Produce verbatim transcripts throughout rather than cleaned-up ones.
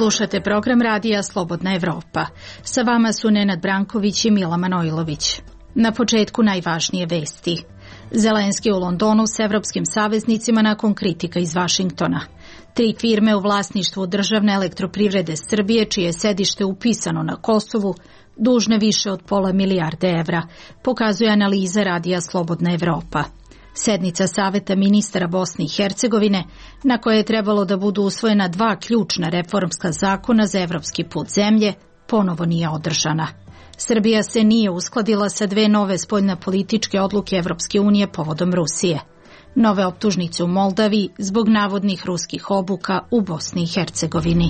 Slušate program radija Slobodna Evropa. Sa vama su Nenad Branković i Mila Manojlović. Na početku najvažnije vesti. Zelenski u Londonu s evropskim saveznicima nakon kritika iz Vašingtona. Tri firme u vlasništvu Državne elektroprivrede Srbije, čije je sedište upisano na Kosovu, dužne više od pola milijarde evra, pokazuje analiza radija Slobodna Evropa. Sednica Saveta ministara Bosne i Hercegovine, na kojoj je trebalo da budu usvojena dva ključna reformska zakona za evropski put zemlje, ponovo nije održana. Srbija se nije uskladila sa dve nove spoljnopolitičke odluke Evropske unije povodom Rusije. Nove optužnice u Moldaviji zbog navodnih ruskih obuka u Bosni i Hercegovini.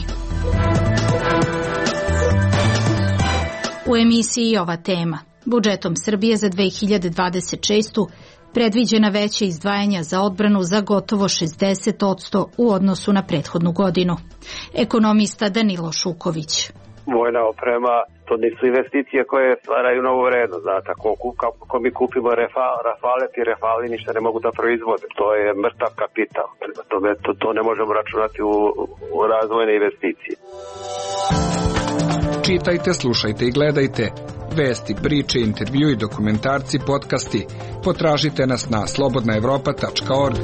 U emisiji ova tema. Budžetom Srbije za dve hiljade dvadeset šestu predviđena veća izdvajanja za odbranu za gotovo šezdeset posto u odnosu na prethodnu godinu. Ekonomista Danilo Šuković. Vojna oprema, to nisu investicije koje stvaraju novu vrednost. Znate, ako, ako mi kupimo refa, rafale, ti rafali ništa ne mogu da proizvode. To je mrtav kapital. To, to, to ne možemo računati u, u razvojne investicije. Čitajte, slušajte i gledajte. Vesti, priče, intervju i dokumentarci, podcasti. Potražite nas na slobodna evropa tačka org.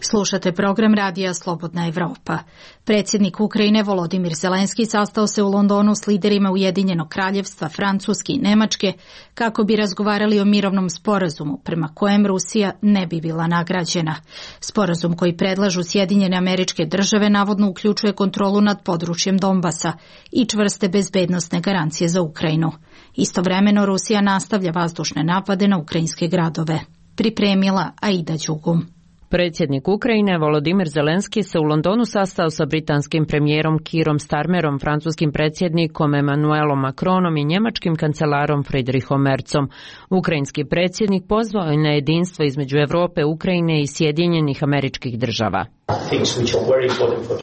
Slušate program radija Slobodna Evropa. Predsjednik Ukrajine Volodimir Zelenski sastao se u Londonu s liderima Ujedinjenog kraljevstva, Francuske i Nemačke kako bi razgovarali o mirovnom sporazumu prema kojem Rusija ne bi bila nagrađena. Sporazum koji predlažu Sjedinjene Američke Države navodno uključuje kontrolu nad područjem Donbasa i čvrste bezbednosne garancije za Ukrajinu. Istovremeno Rusija nastavlja vazdušne napade na ukrajinske gradove. Pripremila Aida Đugum. Predsjednik Ukrajine Volodimir Zelenski se u Londonu sastao sa britanskim premijerom Keerom Starmerom, francuskim predsjednikom Emmanuelom Macronom i njemačkim kancelarom Friedrichom Merzom. Ukrajinski predsjednik pozvao je na jedinstvo između Europe, Ukrajine i Sjedinjenih Američkih Država.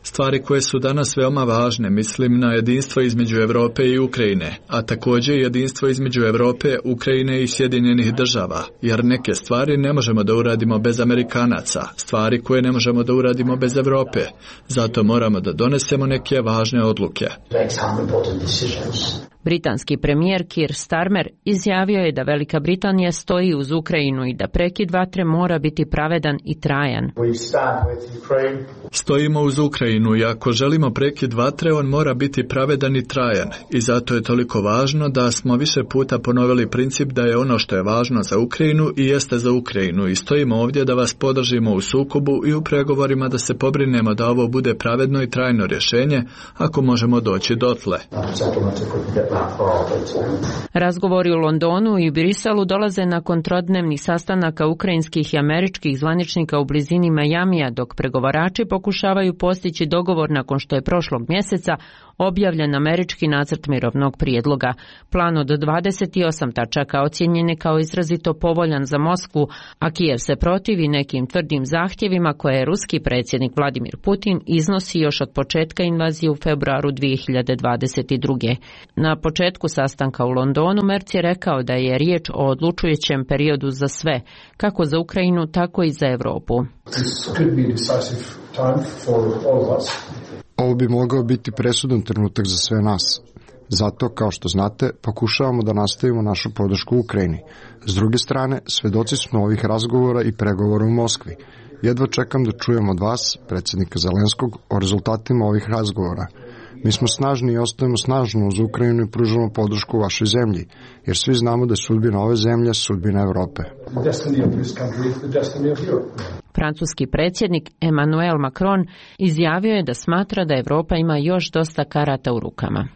Stvari koje su danas veoma važne, mislim na jedinstvo između Europe i Ukrajine, a također jedinstvo između Europe, Ukrajine i Sjedinjenih Država, jer neke stvari ne možemo da uradimo bez Amerikanaca, stvari koje ne možemo da uradimo bez Europe, zato moramo da donesemo neke važne odluke. Britanski premijer Keir Starmer izjavio je da Velika Britanija stoji uz Ukrajinu i da prekid vatre mora biti pravedan i trajan. Stojimo uz Ukrajinu i ako želimo prekid vatre, on mora biti pravedan i trajan. I zato je toliko važno da smo više puta ponovili princip da je ono što je važno za Ukrajinu i jeste za Ukrajinu. I stojimo ovdje da vas podržimo u sukobu i u pregovorima da se pobrinemo da ovo bude pravedno i trajno rješenje ako možemo doći dotle. Razgovori u Londonu i Briselu dolaze nakon trodnevnih sastanaka ukrajinskih i američkih zvaničnika u blizini Majamija, dok pregovarači pokušavaju postići dogovor nakon što je prošlog mjeseca objavljen američki nacrt mirovnog prijedloga. Plan od dvadeset osam tačaka ocjenjen je kao izrazito povoljan za Moskvu, a Kijev se protivi nekim tvrdim zahtjevima koje je ruski predsjednik Vladimir Putin iznosi još od početka invazije u februaru dvije hiljade dvadeset druge. Na početku sastanka u Londonu Merz je rekao da je riječ o odlučujućem periodu za sve, kako za Ukrajinu, tako i za Europu. Ovo bi mogao biti presudan trenutak za sve nas. Zato, kao što znate, pokušavamo da nastavimo našu podršku Ukrajini. S druge strane, svedoci smo ovih razgovora i pregovora u Moskvi. Jedva čekam da čujem od vas, predsjednika Zelenskog, o rezultatima ovih razgovora. Mi smo snažni i ostajemo snažno uz Ukrajinu i pružamo podršku vašoj zemlji, jer svi znamo da je sudbina ove zemlje sudbina Europe. Francuski predsjednik Emmanuel Macron izjavio je da smatra da Europa ima još dosta karata u rukama.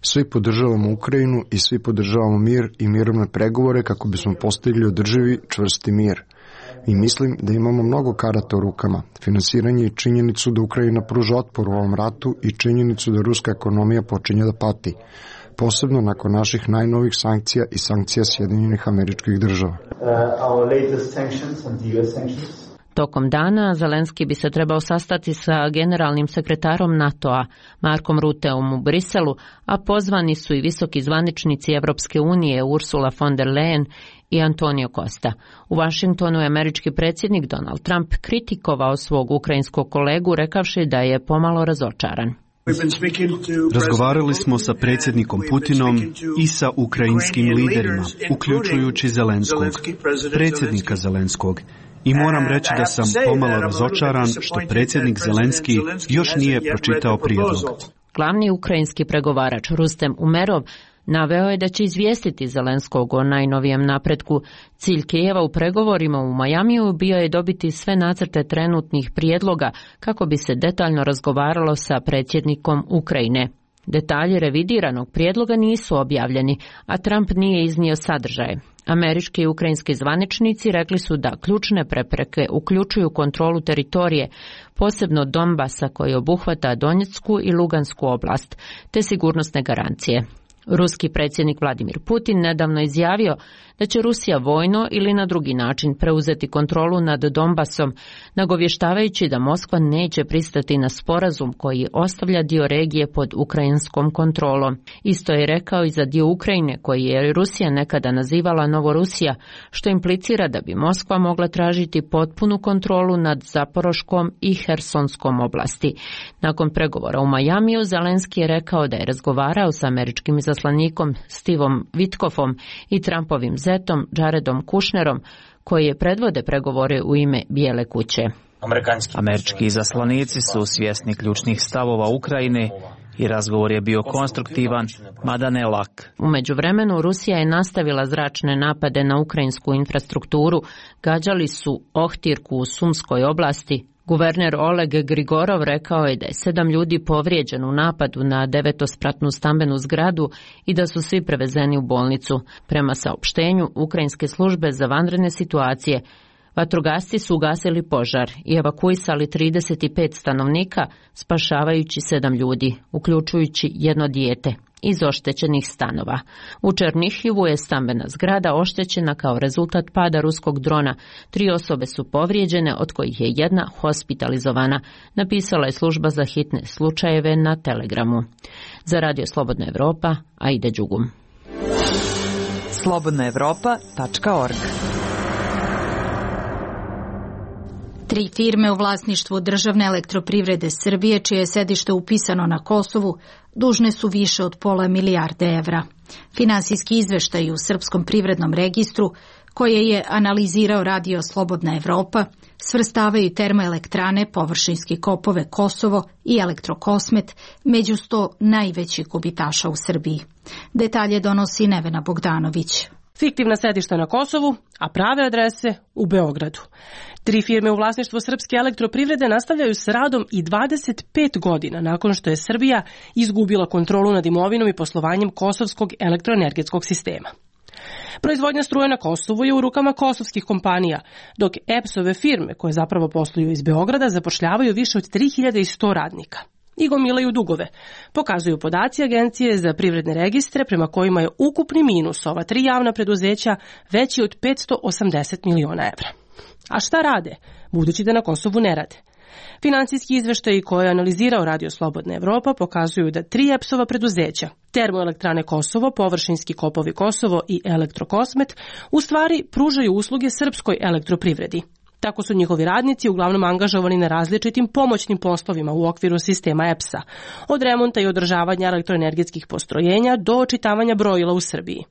Svi podržavamo Ukrajinu i svi podržavamo mir i mirovne pregovore kako bismo postigli održivi, čvrsti mir. I mislim da imamo mnogo karata u rukama, finansiranje i činjenicu da Ukrajina pruža otpor u ovom ratu i činjenicu da ruska ekonomija počinje da pati, posebno nakon naših najnovih sankcija i sankcija Sjedinjenih Američkih Država. Tokom dana Zelenski bi se trebao sastati sa generalnim sekretarom NATO-a Markom Ruteom u Briselu, a pozvani su i visoki zvaničnici Evropske unije Ursula von der Leyen i Antonio Costa. U Vašingtonu je američki predsjednik Donald Trump kritikovao svog ukrajinskog kolegu rekavši da je pomalo razočaran. Razgovarali smo sa predsjednikom Putinom i sa ukrajinskim liderima, uključujući Zelenskog, predsjednika Zelenskog. I moram reći da sam pomalo razočaran što predsjednik Zelenski još nije pročitao prijedlog. Glavni ukrajinski pregovarač Rustem Umerov naveo je da će izvijestiti Zelenskog o najnovijem napretku. Cilj Kijeva u pregovorima u Majamiju bio je dobiti sve nacrte trenutnih prijedloga kako bi se detaljno razgovaralo sa predsjednikom Ukrajine. Detalji revidiranog prijedloga nisu objavljeni, a Trump nije iznio sadržaje. Američki i ukrajinski zvaničnici rekli su da ključne prepreke uključuju kontrolu teritorije, posebno Donbasa koji obuhvata Donjecku i Lugansku oblast, te sigurnosne garancije. Ruski predsjednik Vladimir Putin nedavno izjavio da će Rusija vojno ili na drugi način preuzeti kontrolu nad Donbasom, nagovještavajući da Moskva neće pristati na sporazum koji ostavlja dio regije pod ukrajinskom kontrolom. Isto je rekao i za dio Ukrajine koji je Rusija nekada nazivala Novorusija, što implicira da bi Moskva mogla tražiti potpunu kontrolu nad Zaporoškom i Hersonskom oblasti. Nakon pregovora u Majamiju, Zelenski je rekao da je razgovarao sa američkim izaslanikom Stevom Witkofom i Trumpovim zetom Jaredom Kushnerom, koji je predvode pregovore u ime Bijele kuće. Američki izaslanici su svjesni ključnih stavova Ukrajine i razgovor je bio konstruktivan, mada ne lak. U međuvremenu Rusija je nastavila zračne napade na ukrajinsku infrastrukturu, gađali su Ohtirku u Sumskoj oblasti. Guverner Oleg Grigorov rekao je da je sedam ljudi povrijeđen u napadu na devetospratnu stambenu zgradu i da su svi prevezeni u bolnicu. Prema saopštenju ukrajinske službe za vanredne situacije, vatrogasci su ugasili požar i evakuisali trideset pet stanovnika, spašavajući sedam ljudi, uključujući jedno dijete, iz oštećenih stanova. U Černihivu je stambena zgrada oštećena kao rezultat pada ruskog drona. Tri osobe su povrijeđene, od kojih je jedna hospitalizovana, napisala je služba za hitne slučajeve na Telegramu. Za Radio Slobodna Evropa, Aida Đugum. slobodna evropa tačka org. Tri firme u vlasništvu Državne elektroprivrede Srbije, čije je sedište upisano na Kosovu, dužne su više od pola milijarde evra. Finansijski izveštaj u Srpskom privrednom registru, koje je analizirao Radio Slobodna Evropa, svrstavaju termoelektrane, površinski kopove Kosovo i Elektrokosmet među sto najvećih gubitaša u Srbiji. Detalje donosi Nevena Bogdanović. Fiktivna sedišta na Kosovu, a prave adrese u Beogradu. Tri firme u vlasništvu Srpske elektroprivrede nastavljaju s radom i dvadeset pet godina nakon što je Srbija izgubila kontrolu nad imovinom i poslovanjem kosovskog elektroenergetskog sistema. Proizvodnja struje na Kosovu je u rukama kosovskih kompanija, dok E P S-ove firme, koje zapravo posluju iz Beograda, zapošljavaju više od tri hiljade sto radnika i gomilaju dugove, pokazuju podaci Agencije za privredne registre, prema kojima je ukupni minus ova tri javna preduzeća veći od petsto osamdeset miliona evra. A šta rade, budući da na Kosovu ne rade? Finansijski izveštaji koje je analizirao Radio Slobodna Evropa pokazuju da tri E P S-ova preduzeća, Termoelektrane Kosovo, Površinski kopovi Kosovo i Elektrokosmet, u stvari pružaju usluge srpskoj elektroprivredi. Tako su njihovi radnici uglavnom angažovani na različitim pomoćnim poslovima u okviru sistema E P S-a, od remonta i održavanja elektroenergetskih postrojenja do očitavanja brojila u Srbiji.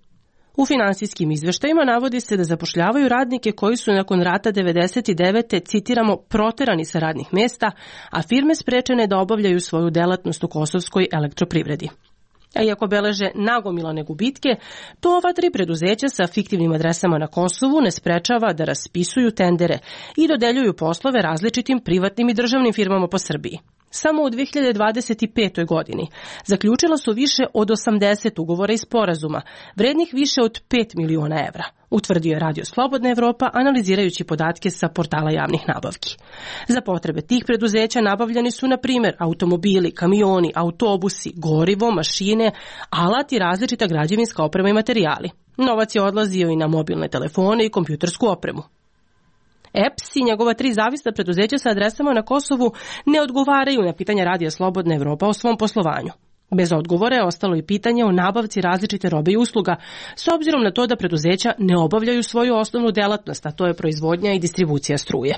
U finansijskim izveštajima navodi se da zapošljavaju radnike koji su nakon rata devedeset devete citiramo, proterani sa radnih mesta, a firme sprečene da obavljaju svoju delatnost u kosovskoj elektroprivredi. A iako beleže nagomilane gubitke, to ova tri preduzeća sa fiktivnim adresama na Kosovu ne sprečava da raspisuju tendere i dodeljuju poslove različitim privatnim i državnim firmama po Srbiji. Samo u dve hiljade dvadeset petoj. godini zaključila su više od osamdeset ugovora i sporazuma, vrednih više od pet miliona evra, utvrdio je Radio Slobodna Evropa analizirajući podatke sa portala javnih nabavki. Za potrebe tih preduzeća nabavljani su, na primjer, automobili, kamioni, autobusi, gorivo, mašine, alat i različita građevinska oprema i materijali. Novac je odlazio i na mobilne telefone i kompjutersku opremu. E P S i njegova tri zavisna preduzeća sa adresama na Kosovu ne odgovaraju na pitanja Radija Slobodna Evropa o svom poslovanju. Bez odgovora je ostalo i pitanje o nabavci različite robe i usluga, s obzirom na to da preduzeća ne obavljaju svoju osnovnu delatnost, a to je proizvodnja i distribucija struje.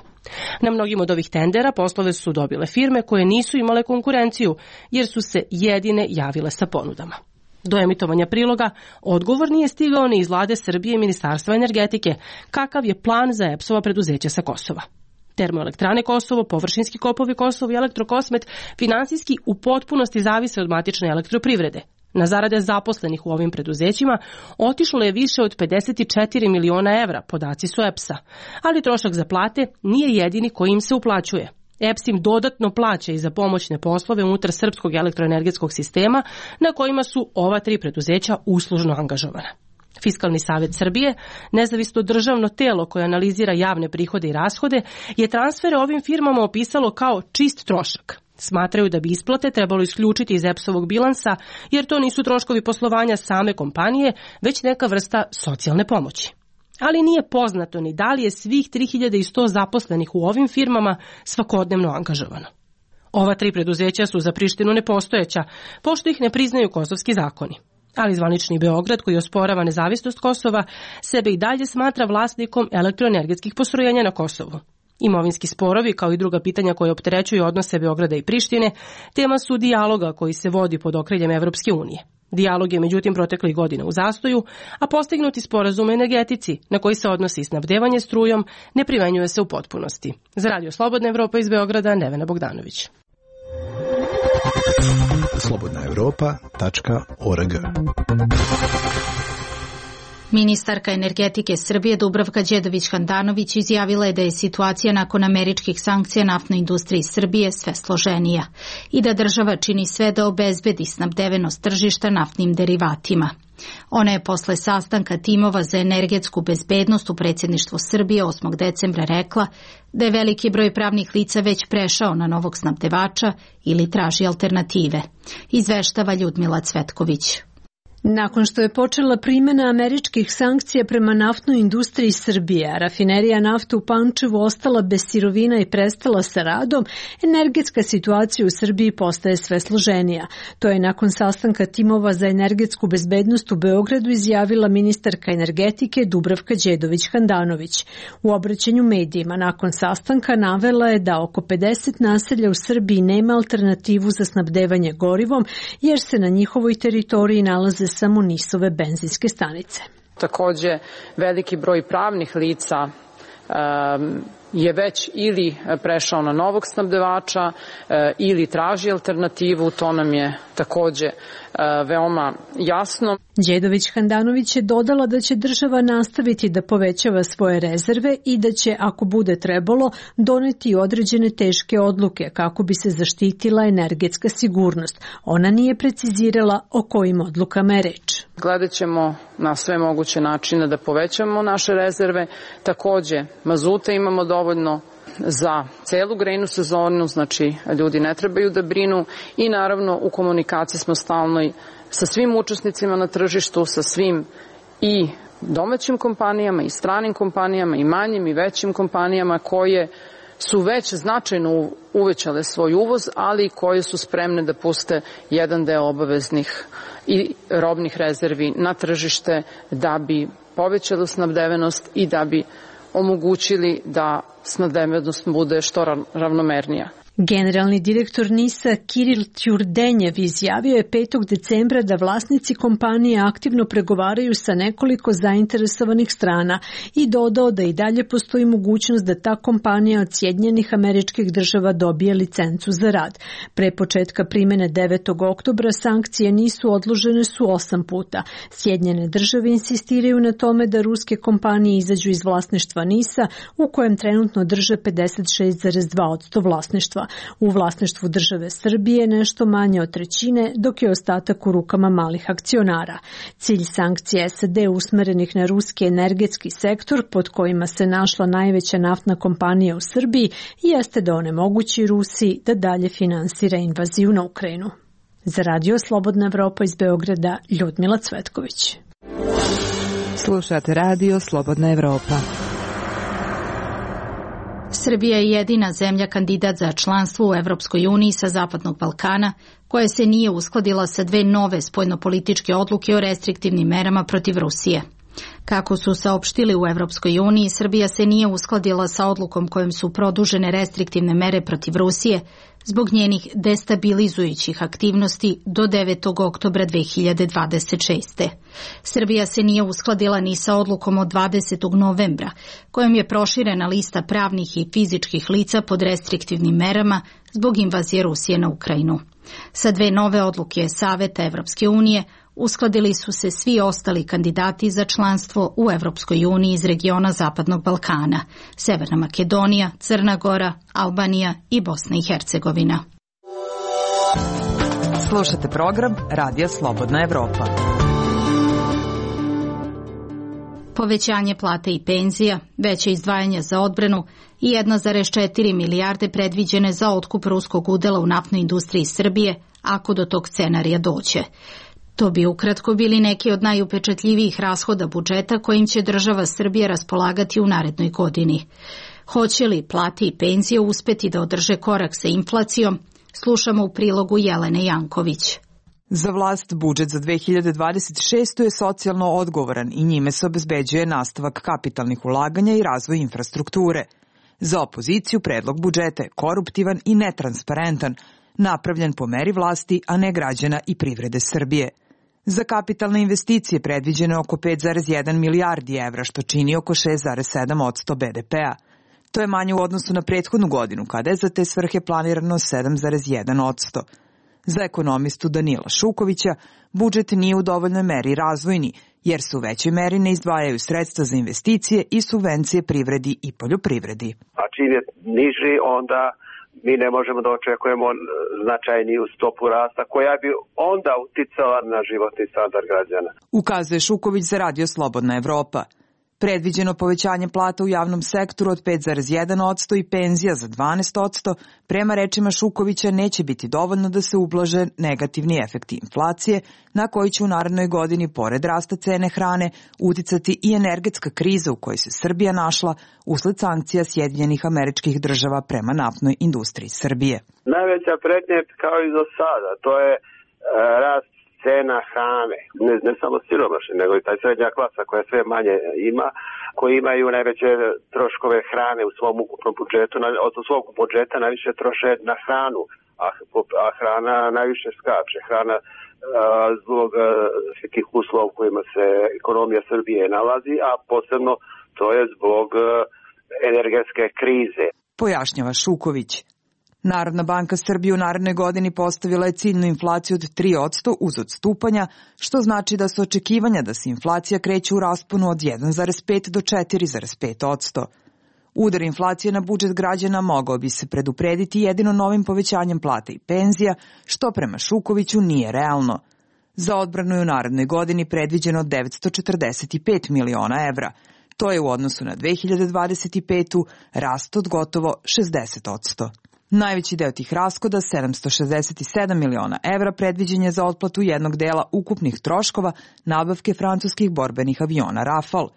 Na mnogim od ovih tendera poslove su dobile firme koje nisu imale konkurenciju, jer su se jedine javile sa ponudama. Do emitovanja priloga odgovor nije stigao ni iz vlade Srbije i Ministarstva energetike, kakav je plan za E P S-ova preduzeća sa Kosova. Termoelektrane Kosovo, površinski kopovi Kosovo i Elektrokosmet finansijski u potpunosti zavise od matične elektroprivrede. Na zarade zaposlenih u ovim preduzećima otišlo je više od pedeset četiri miliona evra, podaci su E P S-a, ali trošak za plate nije jedini koji im se uplaćuje. E P S im dodatno plaća i za pomoćne poslove unutar srpskog elektroenergetskog sistema na kojima su ova tri preduzeća uslužno angažovana. Fiskalni savet Srbije, nezavisno državno telo koje analizira javne prihode i rashode, je transfere ovim firmama opisalo kao čist trošak. Smatraju da bi isplate trebalo isključiti iz E P S-ovog bilansa, jer to nisu troškovi poslovanja same kompanije, već neka vrsta socijalne pomoći. Ali nije poznato ni da li je svih tri hiljade sto zaposlenih u ovim firmama svakodnevno angažovano. Ova tri preduzeća su za Prištinu nepostojeća, pošto ih ne priznaju kosovski zakoni. Ali zvanični Beograd, koji osporava nezavisnost Kosova, sebe i dalje smatra vlasnikom elektroenergetskih postrojenja na Kosovu. Imovinski sporovi, kao i druga pitanja koje opterećuju odnose Beograda i Prištine, tema su dijaloga koji se vodi pod okriljem Evropske unije. Dijalog je međutim proteklih godina u zastoju, a postignuti sporazum o energetici, na koji se odnosi snabdevanje strujom, ne primenjuje se u potpunosti. Za Radio Slobodna Evropa iz Beograda, Nevena Bogdanović. slobodna evropa tačka org. Ministarka energetike Srbije Dubravka Đedović-Handanović izjavila je da je situacija nakon američkih sankcija naftnoj industriji Srbije sve složenija i da država čini sve da obezbedi snabdevenost tržišta naftnim derivatima. Ona je posle sastanka timova za energetsku bezbednost u predsjedništvu Srbije osmog decembra rekla da je veliki broj pravnih lica već prešao na novog snabdevača ili traži alternative. Izveštava Ljudmila Cvetković. Nakon što je počela primjena američkih sankcija prema naftnoj industriji Srbije, a rafinerija nafte u Pančevu ostala bez sirovina i prestala sa radom, energetska situacija u Srbiji postaje sve složenija. To je nakon sastanka timova za energetsku bezbednost u Beogradu izjavila ministarka energetike Dubravka Đedović-Handanović. U obraćanju medijima nakon sastanka navela je da oko pedeset naselja u Srbiji nema alternativu za snabdevanje gorivom, jer se na njihovoj teritoriji nalaze samo NIS-ove benzinske stanice. Takođe, veliki broj pravnih lica um, je već ili prešao na novog snabdevača uh, ili traži alternativu, to nam je takođe uh, veoma jasno. Đedović-Handanović je dodala da će država nastaviti da povećava svoje rezerve i da će, ako bude trebalo, doneti određene teške odluke kako bi se zaštitila energetska sigurnost. Ona nije precizirala o kojim odlukama je reč. Gledat ćemo na sve moguće načine da povećamo naše rezerve. Takođe, mazuta imamo dovoljno za celu grejnu sezonu, znači ljudi ne trebaju da brinu i naravno u komunikaciji smo stalno sa svim učesnicima na tržištu, sa svim i domaćim kompanijama i stranim kompanijama i manjim i većim kompanijama koje su već značajno uvećale svoj uvoz, ali koje su spremne da puste jedan deo obaveznih i robnih rezervi na tržište da bi povećali snabdevenost i da bi omogućili da snabdevenost bude što ravnomernija. Generalni direktor NIS-a Kiril Ćurdenjev izjavio je petog decembra da vlasnici kompanije aktivno pregovaraju sa nekoliko zainteresovanih strana i dodao da i dalje postoji mogućnost da ta kompanija od Sjedinjenih Američkih Država dobije licencu za rad. Pre početka primjene devetog oktobra sankcije nisu odložene su osam puta. Sjedinjene Države insistiraju na tome da ruske kompanije izađu iz vlasništva NIS-a u kojem trenutno drže pedeset šest zarez dva posto vlasništva. U vlasništvu države Srbije nešto manje od trećine, dok je ostatak u rukama malih akcionara. Cilj sankcija S A D usmerenih na ruski energetski sektor, pod kojima se našla najveća naftna kompanija u Srbiji, jeste da onemogući Rusiji da dalje finansira invaziju na Ukrajinu. Za Radio Slobodna Evropa iz Beograda, Ljudmila Cvetković. Slušate Radio Slobodna Evropa. Srbija je jedina zemlja kandidat za članstvo u Evropskoj uniji sa Zapadnog Balkana koja se nije uskladila sa dve nove spoljnopolitičke odluke o restriktivnim merama protiv Rusije. Kako su saopštili u Evropskoj uniji, Srbija se nije uskladila sa odlukom kojom su produžene restriktivne mere protiv Rusije zbog njenih destabilizujućih aktivnosti do devetog oktobra dve hiljade dvadeset šeste. Srbija se nije uskladila ni sa odlukom od dvadesetog novembra, kojom je proširena lista pravnih i fizičkih lica pod restriktivnim merama zbog invazije Rusije na Ukrajinu. Sa dve nove odluke Saveta Evropske unije uskladili su se svi ostali kandidati za članstvo u Evropskoj uniji iz regiona Zapadnog Balkana, Severna Makedonija, Crna Gora, Albanija i Bosna i Hercegovina. Slušate program Radija Slobodna Evropa. Povećanje plate i penzija, veće izdvajanja za odbranu i jedna zarez četiri milijarde predviđene za otkup ruskog udela u naftnoj industriji Srbije, ako do tog scenarija dođe. To bi ukratko bili neki od najupečatljivijih rashoda budžeta kojim će država Srbija raspolagati u narednoj godini. Hoće li plate i penzije uspeti da održe korak sa inflacijom? Slušamo u prilogu Jelene Janković. Za vlast budžet za dve hiljade dvadeset šestu. je socijalno odgovoran i njime se obezbeđuje nastavak kapitalnih ulaganja i razvoj infrastrukture. Za opoziciju predlog budžeta je koruptivan i netransparentan, napravljen po meri vlasti, a ne građana i privrede Srbije. Za kapitalne investicije predviđeno je oko pet zarez jedan milijardi evra, što čini oko šest zarez sedam posto be de pea. To je manje u odnosu na prethodnu godinu, kada je za te svrhe planirano sedam zarez jedan posto. Za ekonomistu Danila Šukovića, budžet nije u dovoljnoj meri razvojni, jer se u većoj meri ne izdvajaju sredstva za investicije i subvencije privredi i poljoprivredi. A čim je niži, onda mi ne možemo da očekujemo značajniju stopu rasta koja bi onda uticala na životni standard građana. Ukazuje Šuković za Radio Slobodna Evropa. Predviđeno povećanje plata u javnom sektoru od pet zarez jedan posto i penzija za dvanaest posto, prema rečima Šukovića, neće biti dovoljno da se ublaže negativni efekti inflacije, na koji će u narednoj godini, pored rasta cene hrane, uticati i energetska kriza u kojoj se Srbija našla usled sankcija Sjedinjenih Američkih Država prema naftnoj industriji Srbije. Najveća pretnja je kao i do sada, to je e, rast cena hrane, ne, ne samo siromašni, nego i taj srednja klasa koja sve manje ima, koji imaju najveće troškove hrane u svom ukupnom budžetu, od svog budžeta najviše troše na hranu, a, a hrana najviše skače. Hrana a, zbog svih tih uslova u kojima se ekonomija Srbije nalazi, a posebno to je zbog a, energetske krize. Pojašnjava Šuković. Narodna banka Srbije u narednoj godini postavila je ciljnu inflaciju od tri posto uz odstupanja, što znači da su očekivanja da se inflacija kreće u rasponu od jedan zarez pet do četiri zarez pet posto. Udar inflacije na budžet građana mogao bi se preduprediti jedino novim povećanjem plata i penzija, što prema Šukoviću nije realno. Za odbranu je u narednoj godini predviđeno devetsto četrdeset pet miliona evra. To je u odnosu na dve hiljade dvadeset petu. rast od gotovo šezdeset posto. Najveći deo tih rashoda, sedamsto šezdeset sedam miliona evra, predviđen je za otplatu jednog dela ukupnih troškova nabavke francuskih borbenih aviona Rafale.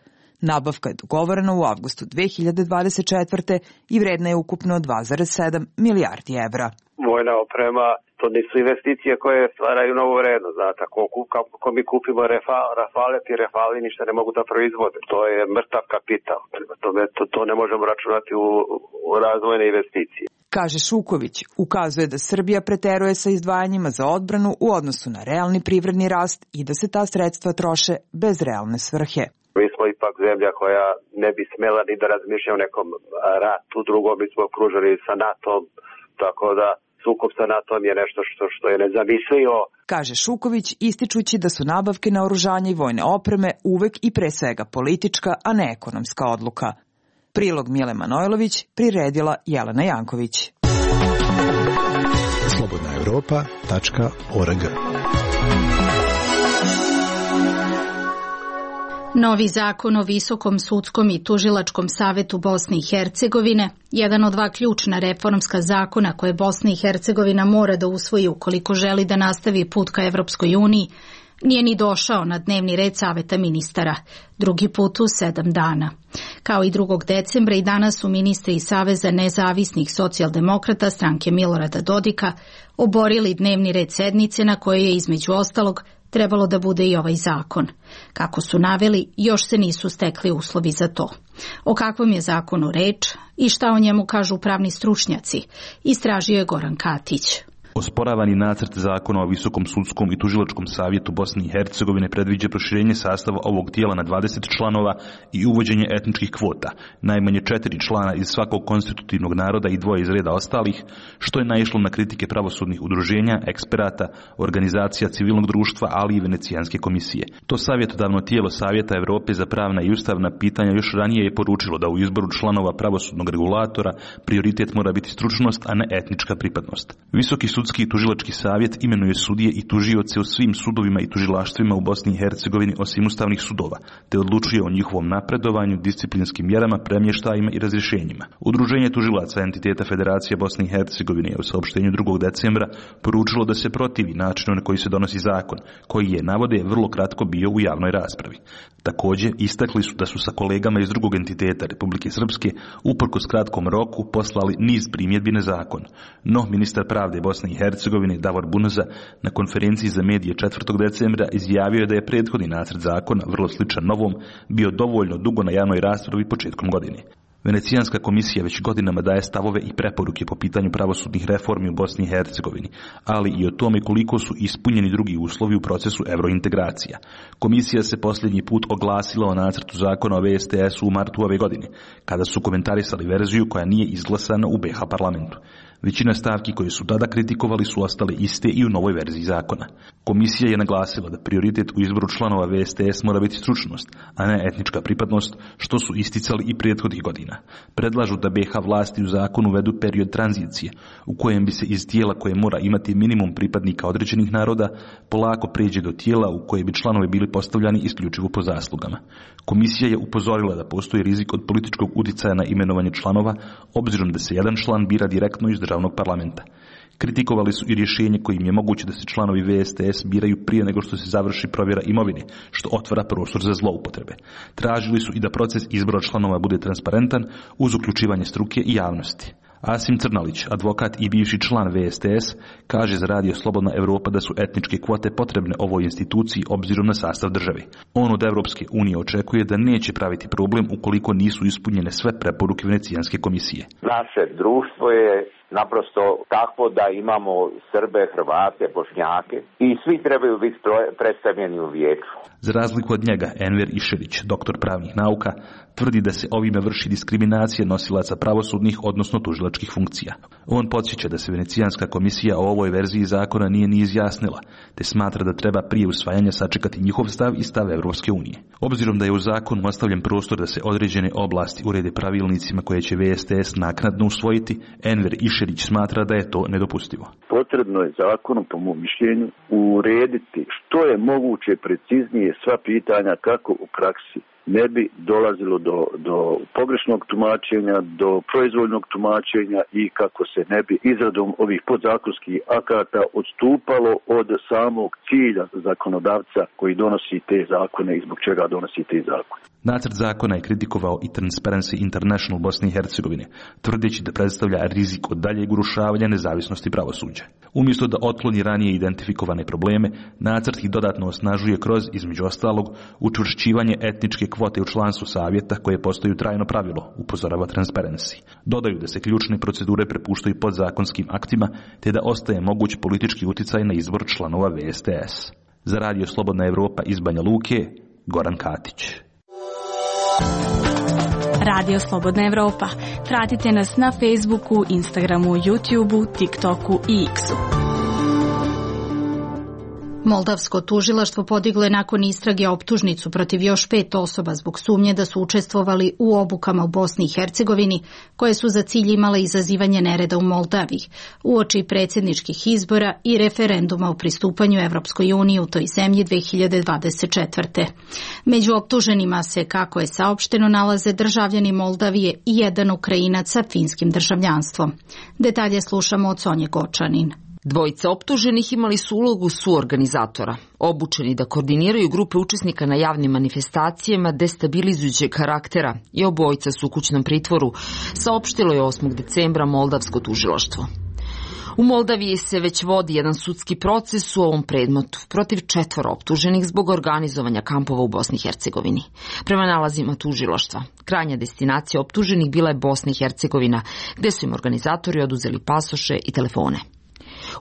Nabavka je dogovorena u avgustu dve hiljade dvadeset četvrte. i vredna je ukupno dva zarez sedam milijardi evra. Vojna oprema, to nisu investicije koje stvaraju novu vrednost. Znate, ako, ako mi kupimo Rafale, ti Rafali ništa ne mogu da proizvode. To je mrtav kapital. To, to, to ne možemo računati u, u razvojne investicije. Kaže Šuković, ukazuje da Srbija preteruje sa izdvajanjima za odbranu u odnosu na realni privredni rast i da se ta sredstva troše bez realne svrhe. Mi smo ipak zemlja koja ne bi smela ni da razmišlja o nekom ratu drugom, mi smo okruženi sa NATO-om, tako da sukob sa NATO-om je nešto što, što je nezamislivo. Kaže Šuković, ističući da su nabavke naoružanja i vojne opreme uvek i pre svega politička, a ne ekonomska odluka. Prilog Mile Manojlović, priredila Jelena Janković. slobodna evropa tačka org. Novi zakon o Visokom sudskom i tužilačkom savetu Bosne i Hercegovine, jedan od dva ključna reformska zakona koje Bosna i Hercegovina mora da usvoji ukoliko želi da nastavi put ka Evropskoj uniji, Nije ni došao na dnevni red Saveta ministara, drugi put u sedam dana. Kao i drugog decembra i danas su ministri iz Saveza nezavisnih socijaldemokrata stranke Milorada Dodika oborili dnevni red sednice na kojoj je između ostalog trebalo da bude i ovaj zakon. Kako su naveli, još se nisu stekli uslovi za to. O kakvom je zakonu reč i šta o njemu kažu pravni stručnjaci, istražio je Goran Katić. Osporavani nacrt zakona o Visokom sudskom i tužilačkom savjetu Bosne i Hercegovine predviđa proširenje sastava ovog tijela na dvadeset članova i uvođenje etničkih kvota, najmanje četiri člana iz svakog konstitutivnog naroda i dvoje iz reda ostalih, što je naišlo na kritike pravosudnih udruženja, eksperata, organizacija civilnog društva, ali i Venecijanske komisije. To savjetodavno tijelo Savjeta Evrope za pravna i ustavna pitanja još ranije je poručilo da u izboru članova pravosudnog regulatora prioritet mora biti stručnost, a ne etnička pripadnost. Visoki Sudski i tužilački savjet imenuje sudije i tužioce u svim sudovima i tužilaštvima u Bosni i Hercegovini osim ustavnih sudova, te odlučuje o njihovom napredovanju, disciplinskim mjerama, premještajima i razrješenjima. Udruženje tužilaca entiteta Federacije Bosne i Hercegovine je u saopštenju drugog decembra poručilo da se protivi načinu na koji se donosi zakon, koji je, navode, vrlo kratko bio u javnoj raspravi. Također, istakli su da su sa kolegama iz drugog entiteta Republike Srpske uprkos kratkom roku poslali niz primjedbi na zakon. No, ministar pravde Bosne i Hercegovine Davor Bunoza na konferenciji za medije četvrtog decembra izjavio je da je prethodni nacrt zakona, vrlo sličan novom, bio dovoljno dugo na javnoj raspravi početkom godine. Venecijanska komisija već godinama daje stavove i preporuke po pitanju pravosudnih reformi u Bosni i Hercegovini, ali i o tome koliko su ispunjeni drugi uslovi u procesu eurointegracija. Komisija se posljednji put oglasila o nacrtu zakona o V S T S-u u martu ove godine, kada su komentarisali verziju koja nije izglasana u B iH parlamentu. Većina stavki koje su tada kritikovali su ostale iste i u novoj verziji zakona. Komisija je naglasila da prioritet u izboru članova V S T S mora biti stručnost, a ne etnička pripadnost, što su isticali i prethodnih godina. Predlažu da B iH vlasti u zakonu uvedu period tranzicije, u kojem bi se iz tijela koje mora imati minimum pripadnika određenih naroda, polako pređe do tijela u koje bi članovi bili postavljani isključivo po zaslugama. Komisija je upozorila da postoji rizik od političkog utjecaja na imenovanje članova, obzirom da se jedan član bira direktno iz državnog parlamenta. Kritikovali su i rješenje kojim je moguće da se članovi V S T S biraju prije nego što se završi provjera imovine, što otvara prostor za zloupotrebe. Tražili su i da proces izbora članova bude transparentan uz uključivanje struke i javnosti. Asim Crnalić, advokat i bivši član V S T S, kaže za Radio Slobodna Evropa da su etničke kvote potrebne ovoj instituciji obzirom na sastav države. On od Evropske unije očekuje da neće praviti problem ukoliko nisu ispunjene sve preporuke Venecijanske komisije. Naše društvo je naprosto takvo da imamo Srbe, Hrvate, Bošnjake i svi trebaju biti predstavljeni u vijeću. Za razliku od njega, Enver Išerić, doktor pravnih nauka, tvrdi da se ovime vrši diskriminacija nosilaca pravosudnih, odnosno tužilačkih funkcija. On podsjeća da se Venecijanska komisija o ovoj verziji zakona nije ni izjasnila, te smatra da treba prije usvajanja sačekati njihov stav i stav Evropske unije. Obzirom da je u zakonu ostavljen prostor da se određene oblasti urede pravilnicima koje će V S T S naknadno usvojiti, Enver Išerić smatra da je to nedopustivo. Potrebno je zakonom, po mom mišljenju, urediti što je moguće preciznije sva pitanja kako u praksi ne bi dolazilo do, do pogrešnog tumačenja, do proizvoljnog tumačenja i kako se ne bi izradom ovih podzakonskih akata odstupalo od samog cilja zakonodavca koji donosi te zakone i zbog čega donosi te zakone. Nacrt zakona je kritikovao i Transparency International Bosne i Hercegovine, tvrdeći da predstavlja rizik od daljeg urušavanja nezavisnosti pravosuđa. Umjesto da otkloni ranije identifikovane probleme, nacrt ih dodatno osnažuje kroz, između ostalog, učvršćivanje etničke kvote u članstvu savjeta koje postaju trajno pravilo, upozorava Transparency. Dodaju da se ključne procedure prepuštaju podzakonskim aktima, te da ostaje moguć politički utjecaj na izbor članova V S T S. Za Radio Slobodna Evropa iz Banja Luke, Goran Katić. Radio Slobodna Evropa. Pratite nas na Facebooku, Instagramu, YouTubeu, TikToku i X-u. Moldavsko tužilaštvo podiglo je nakon istrage optužnicu protiv još pet osoba zbog sumnje da su učestvovali u obukama u Bosni i Hercegovini, koje su za cilj imale izazivanje nereda u Moldaviji, uoči predsjedničkih izbora i referenduma o pristupanju Evropskoj uniji u toj zemlji dve hiljade dvadeset četvrte. Među optuženima se, kako je saopšteno, nalaze državljani Moldavije i jedan Ukrajinac sa finskim državljanstvom. Detalje slušamo od Sonje Gočanin. Dvojica optuženih imali su ulogu suorganizatora, obučeni da koordiniraju grupe učesnika na javnim manifestacijama destabilizujućeg karaktera i obojica su u kućnom pritvoru, saopštilo je osmog decembra moldavsko tužilaštvo. U Moldaviji se već vodi jedan sudski proces u ovom predmetu protiv četvoro optuženih zbog organizovanja kampova u Bosni i Hercegovini. Prema nalazima tužilaštva, krajnja destinacija optuženih bila je Bosna i Hercegovina, gde su im organizatori oduzeli pasoše i telefone.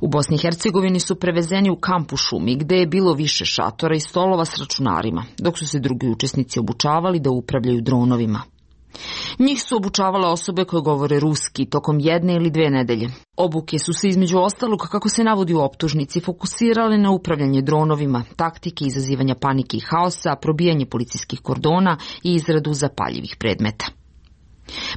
U Bosni i Hercegovini su prevezeni u kamp u šumi, gde je bilo više šatora i stolova s računarima, dok su se drugi učesnici obučavali da upravljaju dronovima. Njih su obučavale osobe koje govore ruski tokom jedne ili dve nedelje. Obuke su se između ostalog, kako se navodi u optužnici, fokusirale na upravljanje dronovima, taktike izazivanja panike i haosa, probijanje policijskih kordona i izradu zapaljivih predmeta.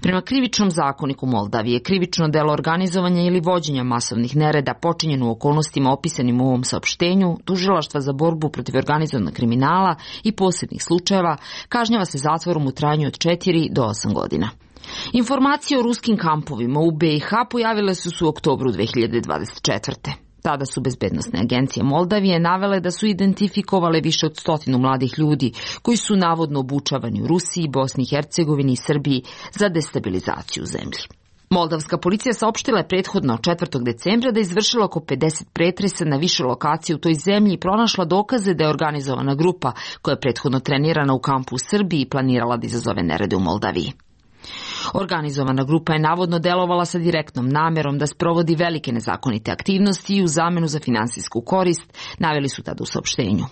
Prema krivičnom zakoniku Moldavije, krivično delo organizovanja ili vođenja masovnih nereda počinjeno u okolnostima opisanim u ovom saopštenju, tužilaštva za borbu protiv organizovanog kriminala i posebnih slučajeva kažnjava se zatvorom u trajanju od četiri do osam godina. Informacije o ruskim kampovima u B i H pojavile su se u oktobru dve hiljade dvadeset četvrte. Tada su bezbednosne agencije Moldavije navele da su identifikovale više od stotinu mladih ljudi koji su navodno obučavani u Rusiji, Bosni i Hercegovini i Srbiji za destabilizaciju zemlji. Moldavska policija saopštila je prethodno četvrtog decembra da je izvršila oko pedeset pretresa na više lokacije u toj zemlji i pronašla dokaze da je organizovana grupa koja je prethodno trenirana u kampu u Srbiji i planirala da izazove nerede u Moldaviji. Organizovana grupa je navodno delovala sa direktnom namerom da sprovodi velike nezakonite aktivnosti i u zamenu za finansijsku korist, naveli su tada u saopštenju.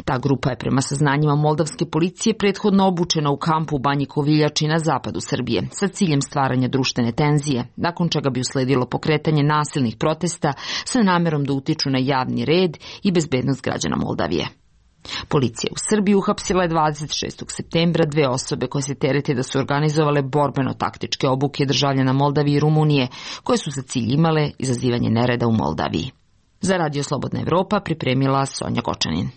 Ta grupa je prema saznanjima moldavske policije prethodno obučena u kampu u Banji Koviljači na zapadu Srbije sa ciljem stvaranja društvene tenzije, nakon čega bi usledilo pokretanje nasilnih protesta sa namerom da utiču na javni red i bezbednost građana Moldavije. Policija u Srbiji uhapsila je dvadeset šestog septembra dve osobe koje se terete da su organizovale borbeno-taktičke obuke državljana Moldavije i Rumunije, koje su za cilj imale izazivanje nereda u Moldaviji. Za Radio Slobodna Evropa pripremila Sonja Gočanin.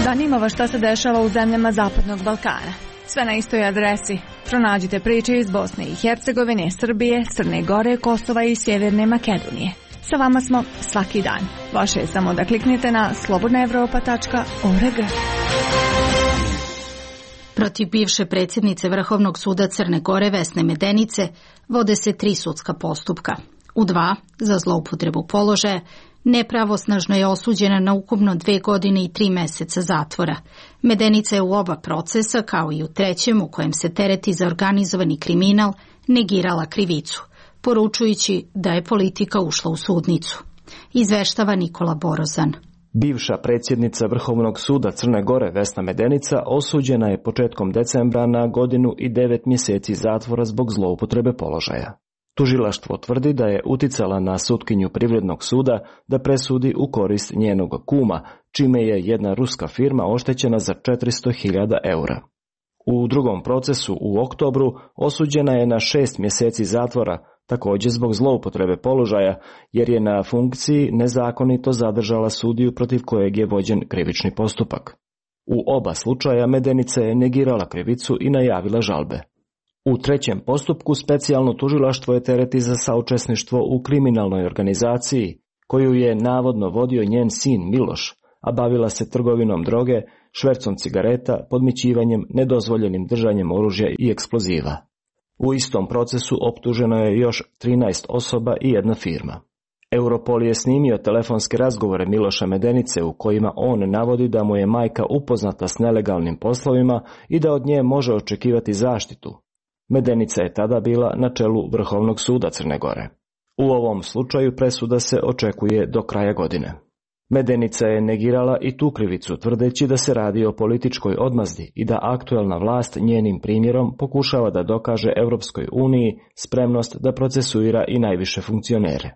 Zanima vas šta se dešava u zemljama Zapadnog Balkana. Sve na istoj adresi. Pronađite priče iz Bosne i Hercegovine, Srbije, Crne Gore, Kosova i Sjeverne Makedonije. Sa vama smo svaki dan. Vaše je samo da kliknete na slobodna evropa tačka org. Protiv bivše predsjednice Vrhovnog suda Crne Gore Vesne Medenice vode se tri sudska postupka. U dva za zloupotrebu položaja, nepravosnažno je osuđena na ukupno dve godine i tri meseca zatvora. Medenica je u oba procesa, kao i u trećem u kojem se tereti za organizovani kriminal, negirala krivicu, poručujući da je politika ušla u sudnicu. Izveštava Nikola Borozan. Bivša predsjednica Vrhovnog suda Crne Gore Vesna Medenica osuđena je početkom decembra na godinu i devet mjeseci zatvora zbog zloupotrebe položaja. Tužilaštvo tvrdi da je uticala na sutkinju Privrednog suda da presudi u korist njenog kuma, čime je jedna ruska firma oštećena za četiristo hiljada eura. U drugom procesu u oktobru osuđena je na šest mjeseci zatvora, također zbog zloupotrebe položaja, jer je na funkciji nezakonito zadržala sudiju protiv kojeg je vođen krivični postupak. U oba slučaja Medenica je negirala krivicu i najavila žalbe. U trećem postupku specijalno tužilaštvo je tereti za saučesništvo u kriminalnoj organizaciji, koju je navodno vodio njen sin Miloš, a bavila se trgovinom droge, švercom cigareta, podmićivanjem, nedozvoljenim držanjem oružja i eksploziva. U istom procesu optuženo je još trinaest osoba i jedna firma. Europol je snimio telefonske razgovore Miloša Medenice u kojima on navodi da mu je majka upoznata s nelegalnim poslovima i da od nje može očekivati zaštitu. Medenica je tada bila na čelu Vrhovnog suda Crne Gore. U ovom slučaju presuda se očekuje do kraja godine. Medenica je negirala i tu krivicu, tvrdeći da se radi o političkoj odmazdi i da aktuelna vlast njenim primjerom pokušava da dokaže Europskoj uniji spremnost da procesuira i najviše funkcionere.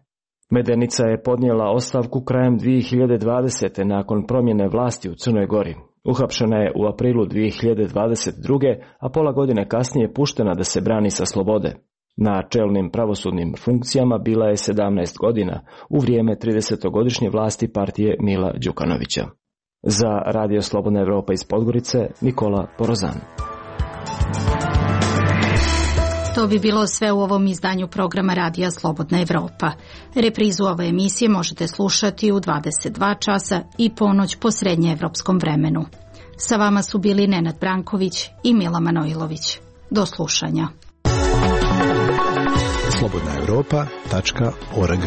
Medenica je podnijela ostavku krajem dvije hiljade dvadesete nakon promjene vlasti u Crnoj Gori. Uhapšena je u aprilu dvije hiljade dvadeset druge, a pola godine kasnije puštena da se brani sa slobode. Na čelnim pravosudnim funkcijama bila je sedamnaest godina u vrijeme tridesetogodišnje vlasti partije Mila Đukanovića. Za Radio Slobodna Evropa iz Podgorice, Nikola Borozan. To bi bilo sve u ovom izdanju programa Radija Slobodna Evropa. Reprizu ove emisije možete slušati u dvadeset dva časa i ponoć po srednjeevropskom vremenu. Sa vama su bili Nenad Branković i Mila Manojlović. Do slušanja. slobodna evropa tačka org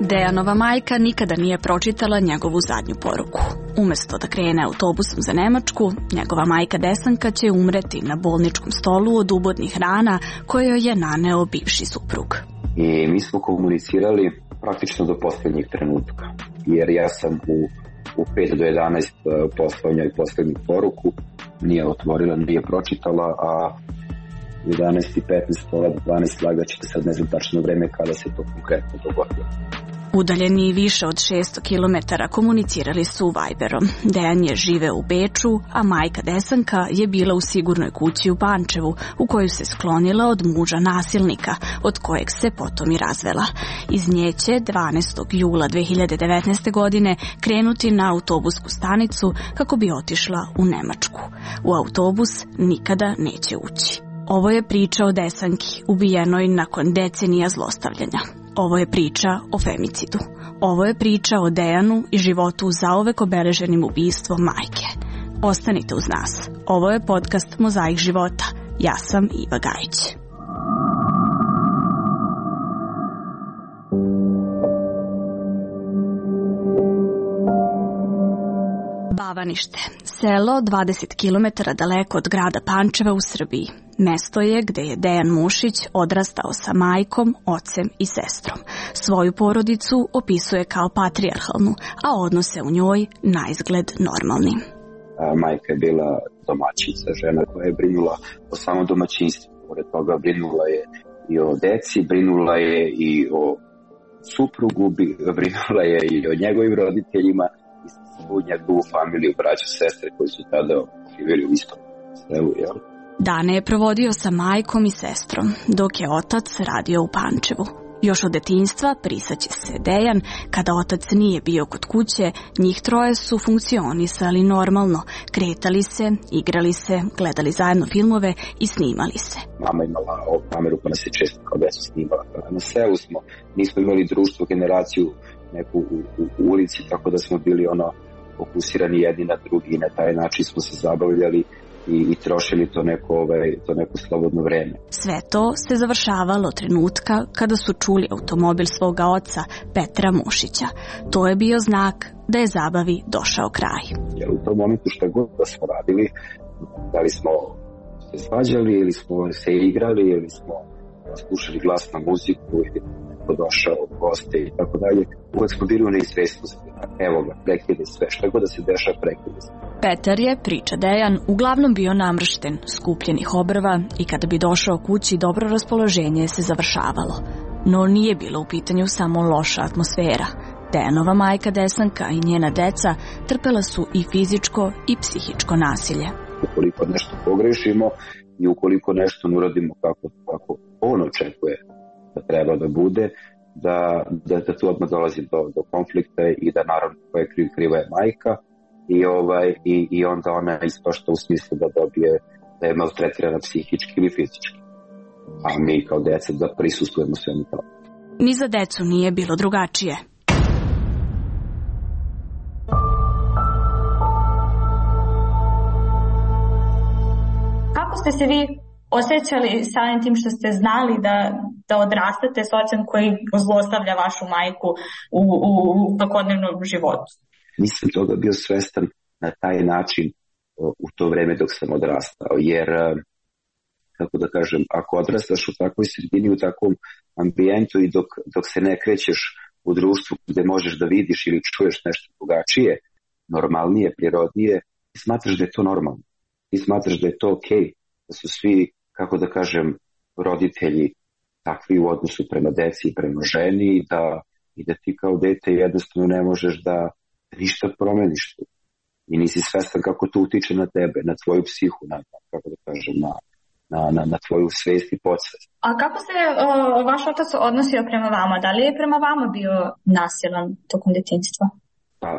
Dejanova majka nikada nije pročitala njegovu zadnju poruku. Umesto da krene autobusom za Nemačku, njegova majka Desanka će umreti na bolničkom stolu od ubodnih rana koje joj je naneo bivši suprug. I mi smo komunicirali praktično do posljednjeg trenutka, jer ja sam u, u pet do jedanaest poslao njoj posljednju poruku, nije otvorila, nije pročitala, a jedanaest i petnaest, pola dvanaest lagaćete, sad ne znam tačno vreme kada se to konkretno dogodilo. Udaljeni više od šesto kilometara komunicirali su Viberom. Dejan je živeo u Beču, a majka Desanka je bila u sigurnoj kući u Pančevu, u koju se sklonila od muža nasilnika, od kojeg se potom i razvela. Iz nje će dvanaestog jula dve hiljade devetnaeste. godine krenuti na autobusku stanicu kako bi otišla u Nemačku. U autobus nikada neće ući. Ovo je priča o Desanki, ubijenoj nakon decenija zlostavljanja. Ovo je priča o femicidu. Ovo je priča o Dejanu i životu zauvek obeleženim ubistvom majke. Ostanite uz nas. Ovo je podcast Mozaik života. Ja sam Iva Gajić. Bavanište, selo dvadeset kilometara daleko od grada Pančeva u Srbiji. Mesto je gde je Dejan Mušić odrastao sa majkom, ocem i sestrom. Svoju porodicu opisuje kao patrijarhalnu, a odnose u njoj naizgled normalnim. Majka je bila domaćica, žena koja je brinula o samom domaćinstvu. Pored toga brinula je i o deci, brinula je i o suprugu, brinula je i o njegovim roditeljima, u njegovu familiju, braću, sestre koji su tada živjeli u istom selu, jel? Dane je provodio sa majkom i sestrom, dok je otac radio u Pančevu. Još od detinjstva prisaće se Dejan, kada otac nije bio kod kuće, njih troje su funkcionisali normalno, kretali se, igrali se, gledali zajedno filmove i snimali se. Mama imala ovu kameru pa nas je često kao decu snimala. Na selu smo, nismo imali društvo, generaciju neku u, u, u ulici, tako da smo bili ono fokusirani jedni na drugi i na taj način smo se zabavljali i, i trošili to neko, ovaj, to neko slobodno vreme. Sve to se završavalo trenutka kada su čuli automobil svoga oca, Petra Mušića. To je bio znak da je zabavi došao kraj. Jer u tom momentu šta god da smo radili, da li smo se svađali ili smo se igrali ili smo slušali glasnu muziku ili neko došao od goste i tako dalje, uvek smo bili u neizvestnosti. Evo ga, prekide sve, šta god da se dešava, prekide sve. Petar je, priča Dejan, uglavnom bio namršten, skupljenih obrva i kada bi došao kući dobro raspoloženje se završavalo. No nije bilo u pitanju samo loša atmosfera. Dejanova majka Desanka i njena deca trpela su i fizičko i psihičko nasilje. Ukoliko nešto pogrešimo i ukoliko nešto ne uradimo kako, kako on očekuje da treba da bude, da, da, da tu odmah dolazi do, do konflikta i da naravno koja je kriv, kriva je majka i, ovaj, i, i onda ona ispašta u smislu da dobije, da je maltretirana psihički ili fizički. A mi kao deca da prisustujemo svemu tome. Ni za decu nije bilo drugačije. Kako ste se vi osjećali samim tim što ste znali da, da odrastate s ocem koji zlostavlja vašu majku u, u, u svakodnevnom životu? Nisam toga bio svestan na taj način u to vreme dok sam odrastao, jer, kako da kažem, ako odrastaš u takvoj sredini, u takvom ambijentu i dok, dok se ne krećeš u društvu gde možeš da vidiš ili čuješ nešto drugačije, normalnije, prirodnije, ti smatraš da je to normalno. Ti smatraš da je to okej, okay, da su svi, kako da kažem, roditelji takvi u odnosu prema deci i prema ženi i da, i da ti kao dete jednostavno ne možeš da ništa promeniš tu. I nisi svestan kako to utiče na tebe, na tvoju psihu, na, kako da kažem, na, na, na, na tvoju svest i podsvest. A kako se o, vaš otac odnosio prema vama? Da li je prema vama bio nasilan tokom detinjstva? Pa,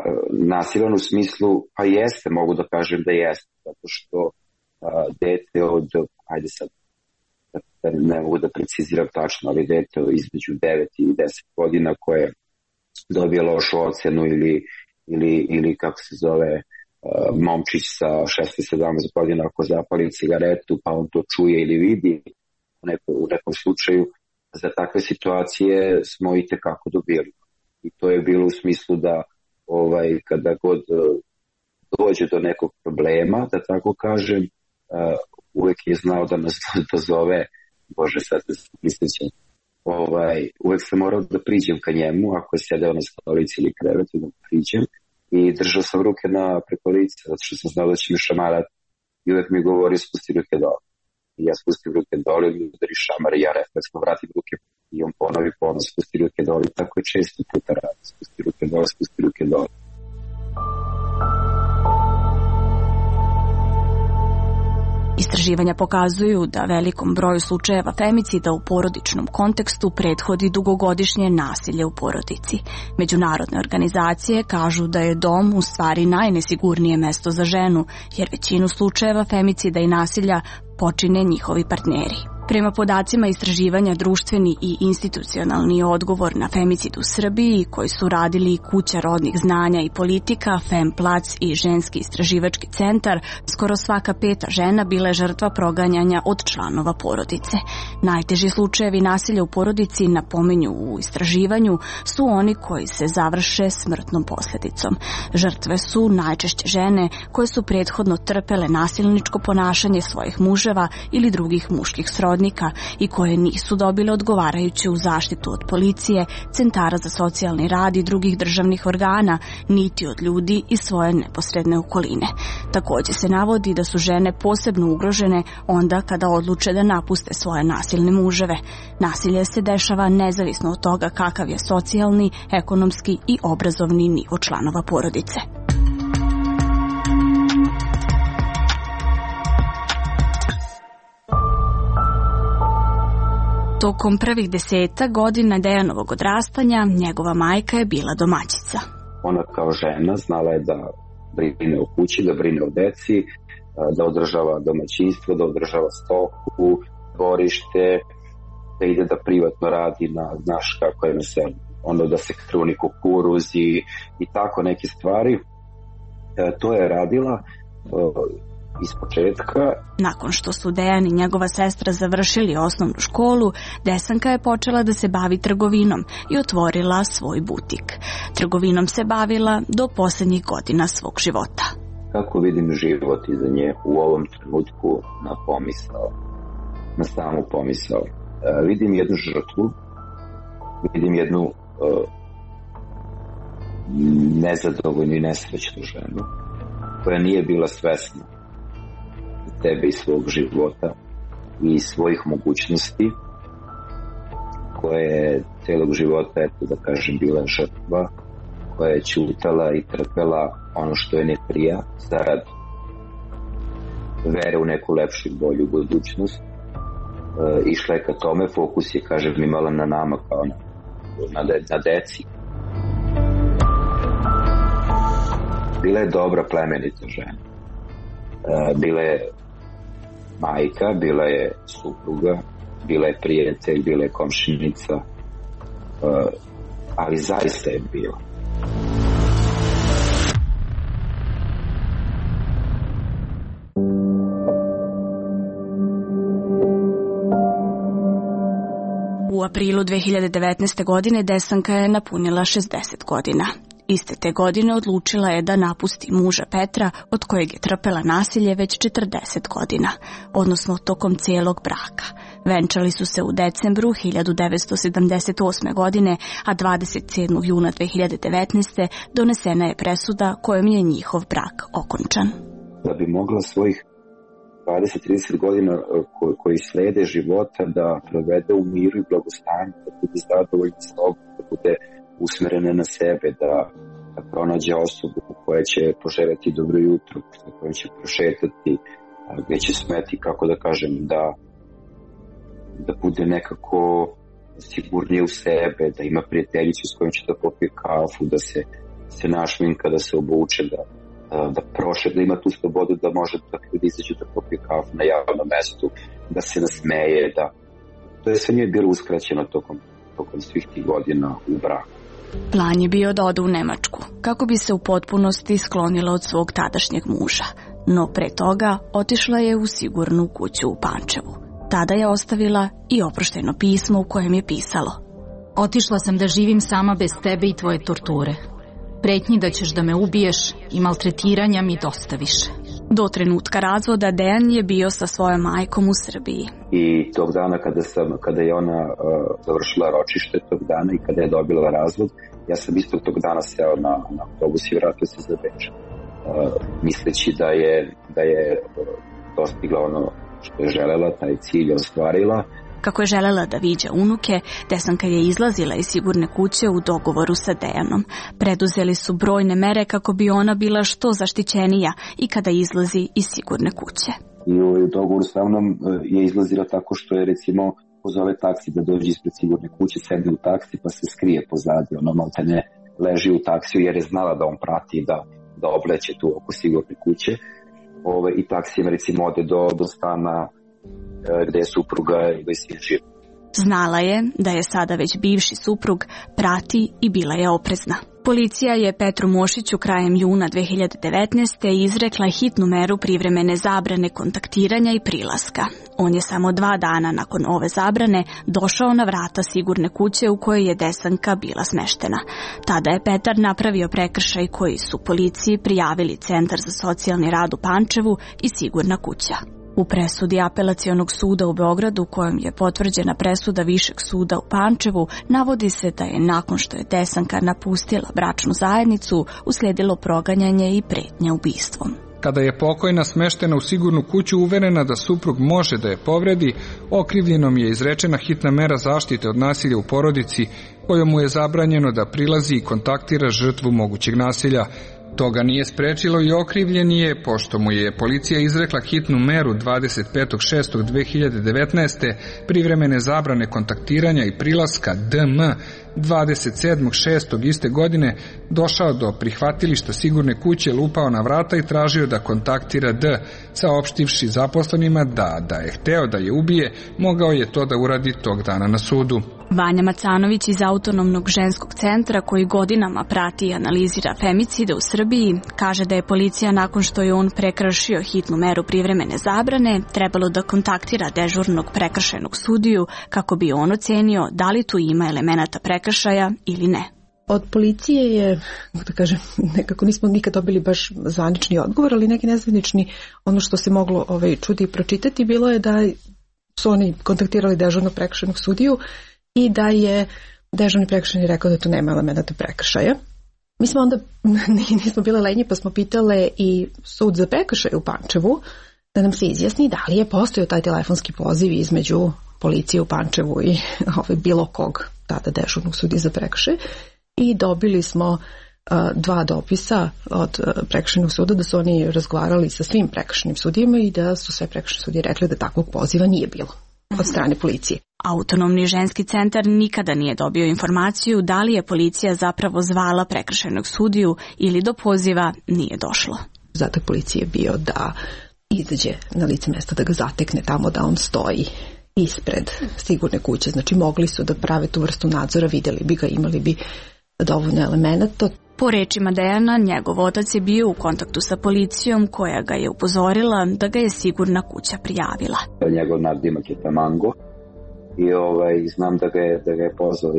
nasilan u smislu, pa jeste, mogu da kažem da jeste, zato što a, dete od, ajde sad, da ne mogu da preciziram tačno, ali dete između devet i deset godina koje dobije lošu ocenu ili, ili, ili kako se zove, momčić sa šesnaest sedamnaest godina ako zapali cigaretu pa on to čuje ili vidi u, neko, u nekom slučaju, za takve situacije smo i tekako dobili. I to je bilo u smislu da ovaj, kada god dođe do nekog problema, da tako kažem, uvek je znao da nas dozove, bože sad se prisjećam, ovaj, uvek sam morao da priđem ka njemu, ako je sedeo na stolici ili krevetu, da priđem. I držao sam ruke na preko lica, zato što sam znao da će mi šamarati. I uvek mi govori, spusti ruke dole. I ja spustim ruke dole, i mi udari šamar, i ja refleksno vratim ruke. I on ponovi ponos, spusti ruke dole. I tako je često puta radi. Spusti ruke dole, spusti ruke dole. Istraživanja pokazuju da velikom broju slučajeva femicida u porodičnom kontekstu prethodi dugogodišnje nasilje u porodici. Međunarodne organizacije kažu da je dom u stvari najnesigurnije mesto za ženu, jer većinu slučajeva femicida i nasilja počine njihovi partneri. Prema podacima istraživanja društveni i institucionalni odgovor na femicid u Srbiji, koji su radili Kuća rodnih znanja i politika, Femplac i Ženski istraživački centar, skoro svaka peta žena bila je žrtva proganjanja od članova porodice. Najteži slučajevi nasilja u porodici, napominju u istraživanju, su oni koji se završe smrtnom posljedicom. Žrtve su najčešće žene koje su prethodno trpele nasilničko ponašanje svojih muževa ili drugih muških srodnika i koje nisu dobile odgovarajuću zaštitu od policije, centara za socijalni rad i drugih državnih organa, niti od ljudi iz svoje neposredne okoline. Također se navodi da su žene posebno ugrožene onda kada odluče da napuste svoje nasilne muževe. Nasilje se dešava nezavisno od toga kakav je socijalni, ekonomski i obrazovni nivo članova porodice. Tokom prvih deseta godina Dejanovog odrastanja njegova majka je bila domaćica. Ona kao žena znala je da brine o kući, da brine o deci, da održava domaćinstvo, da održava stoku, dvorište, da ide da privatno radi na, znaš kako je na selu, ono da se kruni kukuruz i, i tako neke stvari. E, to je radila e, iz početka. Nakon što su Dejan i njegova sestra završili osnovnu školu, Desanka je počela da se bavi trgovinom i otvorila svoj butik. Trgovinom se bavila do posljednjih godina svog života. Kako vidim život iza nje u ovom trenutku na pomisao, na samu pomisao? E, vidim jednu žrtvu, vidim jednu e, nezadovoljnu i nesrećnu ženu koja nije bila svesna tebe i svog života i svojih mogućnosti, koja je celog života, eto da kažem, bila žrtva, koja je ćutala i trpela ono što je ne prija zarad vere u neku lepšu i bolju budućnost. E, išla je ka tome, fokus je, kažem, imala na nama kao na, na, de, na deci. Bila je dobra, plemenita žena. E, bila je majka, bila je supruga, bila je prijatelj, bila je komšinica, uh, ali zaista je bila. U aprilu dve hiljade devetnaeste. godine Desanka je napunila šezdeset godina. Iste te godine odlučila je da napusti muža Petra, od kojeg je trpela nasilje već četrdeset godina, odnosno tokom cijelog braka. Venčali su se u decembru hiljadu devetsto sedamdeset osme. godine, a dvadeset sedmog juna dve hiljade devetnaeste. donesena je presuda kojom je njihov brak okončan. Da bi mogla svojih dvadeset do trideset godina ko, koji slede života da provede u miru i blagostanju, da bude zadovoljna sobom, da bude usmerena na sebe, da, da pronađe osobu koja će poželjeti dobro jutro, sa kojom će prošetati a, gde će smeti, kako da kažem, da, da bude nekako sigurnije u sebe, da ima prijateljicu s kojom će da popije kafu, da se, se našminka, da se obuče, da, da, da proše, da ima tu slobodu da može da ljudi izađu da popije kafu na javnom mestu, da se nasmeje, da to je sve nije bilo uskraćeno tokom, tokom svih tih godina u braku. Plan je bio da ode u Nemačku, kako bi se u potpunosti sklonila od svog tadašnjeg muža, no pre toga otišla je u sigurnu kuću u Pančevu. Tada je ostavila i oprošteno pismo u kojem je pisalo: Otišla sam da živim sama bez tebe i tvoje torture. Pretnji da ćeš da me ubiješ i maltretiranja mi dosta više. Do trenutka razvoda Dejan je bio sa svojom majkom u Srbiji. I tog dana kada, sam, kada je ona uh, završila ročište tog dana i kada je dobila razvod, ja sam isto tog dana seo na, na autobus i vratio se za Beč. Uh, misleći da je, da je uh, dostigla ono što je želela, taj cilj ostvarila. Kako je želela da viđa unuke, Desanka je izlazila iz sigurne kuće u dogovoru sa Dejanom. Preduzeli su brojne mere kako bi ona bila što zaštićenija i kada izlazi iz sigurne kuće. I u dogovoru sa mnom je izlazila tako što je, recimo, pozove taksi da dođe ispred sigurne kuće, sedne u taksi pa se skrije pozadi, ono malte ne leži u taksiju jer je znala da on prati da, da obleće tu oko sigurne kuće. Ove, i taksijem, recimo, ode do, do stana gde je supruga i gde je živ. Znala je da je sada već bivši suprug, prati i bila je oprezna. Policija je Petru Mošiću krajem juna dve hiljade devetnaeste. izrekla hitnu meru privremene zabrane kontaktiranja i prilaska. On je samo dva dana nakon ove zabrane došao na vrata sigurne kuće u kojoj je Desanka bila smeštena. Tada je Petar napravio prekršaj koji su policiji prijavili Centar za socijalni rad u Pančevu i sigurna kuća. U presudi Apelacionog suda u Beogradu, kojom je potvrđena presuda Višeg suda u Pančevu, navodi se da je nakon što je Desanka napustila bračnu zajednicu, uslijedilo proganjanje i pretnja ubistvom. Kada je pokojna smeštena u sigurnu kuću uverena da suprug može da je povredi, okrivljenom je izrečena hitna mera zaštite od nasilja u porodici, kojom mu je zabranjeno da prilazi i kontaktira žrtvu mogućeg nasilja. Toga nije sprečilo i okrivljeni je, pošto mu je policija izrekla hitnu meru dvadeset petog šestog dve hiljade devetnaeste. privremene zabrane kontaktiranja i prilaska D M dvadeset sedmog šestog iste godine, došao do prihvatilišta sigurne kuće, lupao na vrata i tražio da kontaktira D, saopštivši zaposlenima da, da je hteo da je ubije, mogao je to da uradi tog dana na sudu. Vanja Macanović iz Autonomnog ženskog centra, koji godinama prati i analizira femicide u Srbiji, kaže da je policija, nakon što je on prekršio hitnu meru privremene zabrane, trebalo da kontaktira dežurnog prekršajnog sudiju kako bi on ocenio da li tu ima elemenata prekršaja ili ne. Od policije je, da kažem, nekako nismo nikad dobili baš zvanični odgovor, ali neki nezvanični, ono što se moglo ovaj, čuti i pročitati, bilo je da su oni kontaktirali dežurnog prekršajnog sudiju i da je dežurni prekršajni rekao da tu nema elemenata prekršaja. Mi smo onda, nismo bile lenji, pa smo pitale i sud za prekršaj u Pančevu da nam se izjasni da li je postojao taj telefonski poziv između policije u Pančevu i ovaj, bilo kog tada dežurnog sudije za prekršaj. I dobili smo uh, dva dopisa od uh, prekršajnog suda da su oni razgovarali sa svim prekršajnim sudijama i da su sve prekršajne sudije rekli da takvog poziva nije bilo od strane policije. Autonomni ženski centar nikada nije dobio informaciju da li je policija zapravo zvala prekršajnog sudiju ili do poziva nije došlo. Zadatak policije je bio da izađe na lice mesta, da ga zatekne tamo da on stoji ispred sigurne kuće. Znači mogli su da prave tu vrstu nadzora, videli bi ga, imali bi dovoljno elemenata. Po rečima Dejana, njegov otac je bio u kontaktu sa policijom koja ga je upozorila da ga je sigurna kuća prijavila. Njegov nadimak je Tamango i ovaj, znam da ga je, da ga je pozvao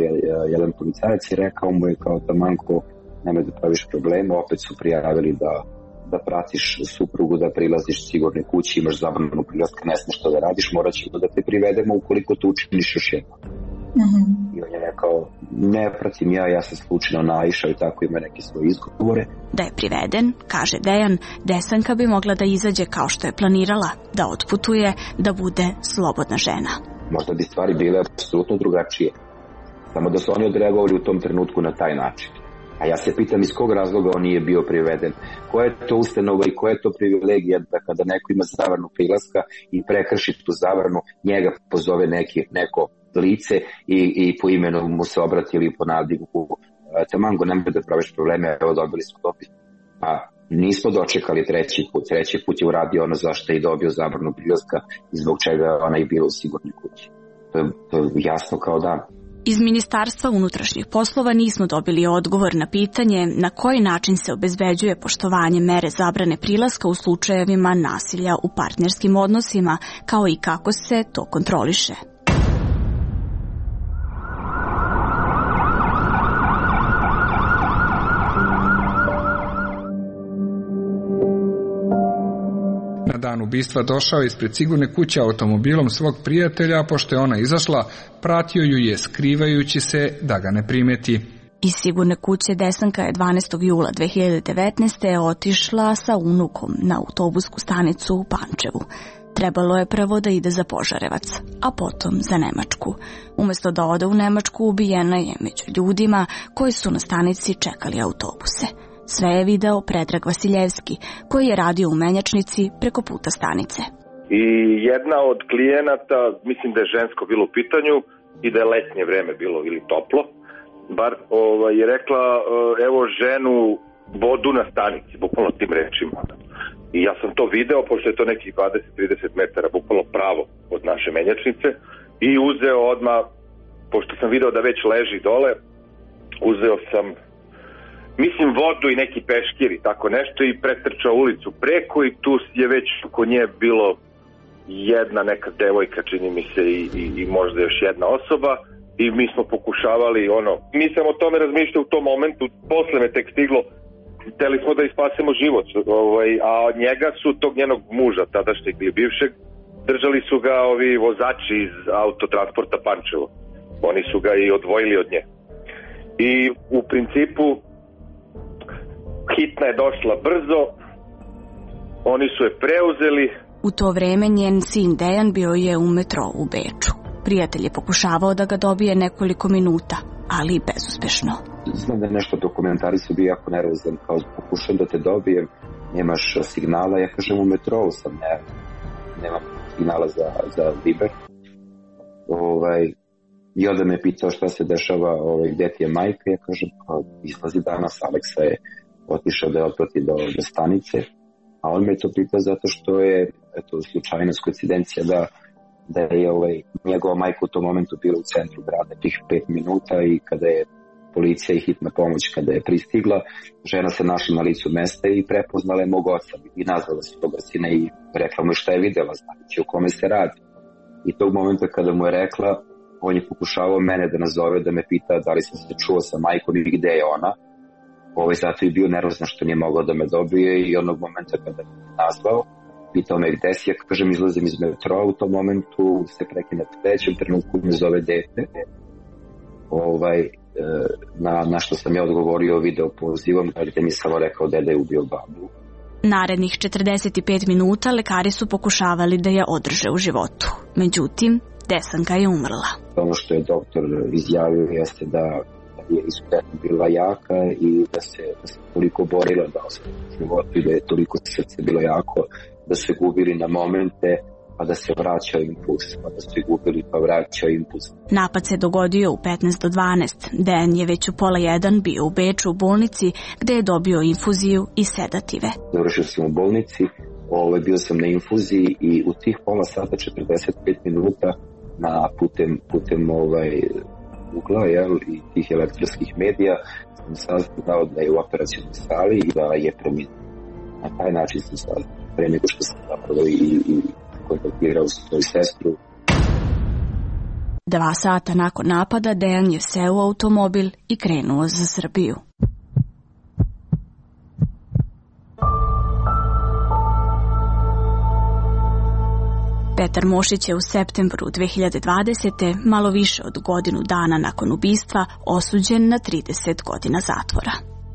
jedan policajac i rekao mu je kao Tamango, nemoj da praviš problema, opet su prijavili da, da pratiš suprugu, da prilaziš sigurne kući, imaš zabranu prilaska, ne smiješ što da radiš, morat ćemo da te privedemo ukoliko to učiniš još jedno. Mm-hmm. I on je rekao, ne pratim ja, ja sam slučajno naišao i tako ima neke svoje izgovore. Da je priveden, kaže Dejan, Desanka bi mogla da izađe kao što je planirala, da otputuje, da bude slobodna žena. Možda bi stvari bile apsolutno drugačije, samo da su oni odreagovali u tom trenutku na taj način. A ja se pitam iz kog razloga on nije bio priveden. Koja je to ustanova i koja je to privilegija da kada neko ima zabranu prilaska i prekrši tu zabranu, njega pozove neki, neko lice i, i po imenu mu se obrati ili po nadimku. Tamango, nemoj da praviš probleme, evo dobili smo dopis. Pa nismo dočekali treći put. Treći put je uradio ono zašto je i dobio zabranu prilaska i zbog čega ona je bila u sigurnoj kući. To je, to je jasno kao dan. Iz Ministarstva unutrašnjih poslova nismo dobili odgovor na pitanje na koji način se obezbeđuje poštovanje mere zabrane prilaska u slučajevima nasilja u partnerskim odnosima, kao i kako se to kontroliše. Na dan ubistva došao je ispred sigurne kuće automobilom svog prijatelja, a pošto je ona izašla, pratio ju je skrivajući se da ga ne primeti. Iz sigurne kuće Desanka je dvanaestog jula dve hiljade devetnaeste. otišla sa unukom na autobusku stanicu u Pančevu. Trebalo je prvo da ide za Požarevac, a potom za Nemačku. Umesto da ode u Nemačku, ubijena je među ljudima koji su na stanici čekali autobuse. Sve je video Predrag Vasiljevski, koji je radio u menjačnici preko puta stanice. I jedna od klijenata, mislim da je žensko bilo u pitanju i da je letnje vreme bilo ili toplo, bar ovaj, je rekla evo ženu vodu na stanici, bukvalno tim rečima. I ja sam to video, pošto je to nekih dvadeset do trideset metara, bukvalno pravo od naše menjačnice, i uzeo odmah, pošto sam video da već leži dole, uzeo sam mislim vodu i neki peškir i tako nešto i pretrčao ulicu preko i tu je već oko nje bilo jedna neka devojka, čini mi se, i, i, i možda još jedna osoba i mi smo pokušavali ono, nisam o tome razmišljao u tom momentu, posle me tek stiglo, hteli smo da ispasemo život, ovaj, a od njega su tog njenog muža, tadašnjeg ili bivšeg, držali su ga ovi vozači iz autotransporta Pančevo, oni su ga i odvojili od nje i u principu hitna je došla brzo, oni su je preuzeli. U to vreme njen sin Dejan bio je u metrou u Beču. Prijatelj je pokušavao da ga dobije nekoliko minuta, ali bezuspešno. Znam da je nešto dokumentari su bio jako nervozan, kao pokušam da te dobijem, nemaš signala, ja kažem u metrou sam, ne, nemam signala za, za Viber. Ovaj, I onda me pitao šta se dešava, ovaj, gde ti je majka, ja kažem, kao, izlazi danas, Aleksa je otišao da je otprati do, do stanice, a on me to pitao zato što je, eto, slučajnost, koincidencija da, da je ovaj, njegova majka u tom momentu bila u centru grada tih pet minuta i kada je policija i hitna pomoć kada je pristigla, žena se našla na licu mesta i prepoznala je mog oca i nazvala se toga sina i rekla mu šta je videla, znači o kome se radi. I tog momenta kada mu je rekla, on je pokušavao mene da nazove, da me pita da li sam se čuo sa majkom i gde je ona. Ovaj, zato je bio nervozan što nije mogao da me dobije i onog momenta kada me nazvao, pitao me gde si, ja kažem izlazim iz metroa, u tom momentu se prekine u trećem trenutku me zove dete. Ovaj, na, na što sam ja odgovorio video pozivom, gde mi samo rekao deda je ubio babu. Narednih četrdeset pet minuta lekari su pokušavali da je održe u životu. Međutim, Desanka je umrla. Ono što je doktor izjavio jeste da je izuzetno bila jaka i da se, da se toliko borila da ostane u životu i da je toliko srce bilo jako da se gubili na momente, pa da se vraćao impuls, pa da se gubili pa vraćao impuls. Napad se dogodio u petnaest do dvanaest. Dejan je već u pola jedan bio u Beču u bolnici gde je dobio infuziju i sedative. Završio sam u bolnici, ovaj, bio sam na infuziji i u tih pola sata četrdeset pet minuta na putem, putem ovaj, ugla, jel, i tih elektronskih medija sam saznao da je u operacionoj sali i da je preminuo. Na taj način sam saznao, pre nego što sam zapravo i, i kontaktirao svoju sestru. Dva sata nakon napada Dejan je seo u automobil i krenuo za Srbiju. Petar Mošić je u septembru dve hiljade dvadesete. malo više od godinu dana nakon ubistva osuđen na trideset godina zatvora.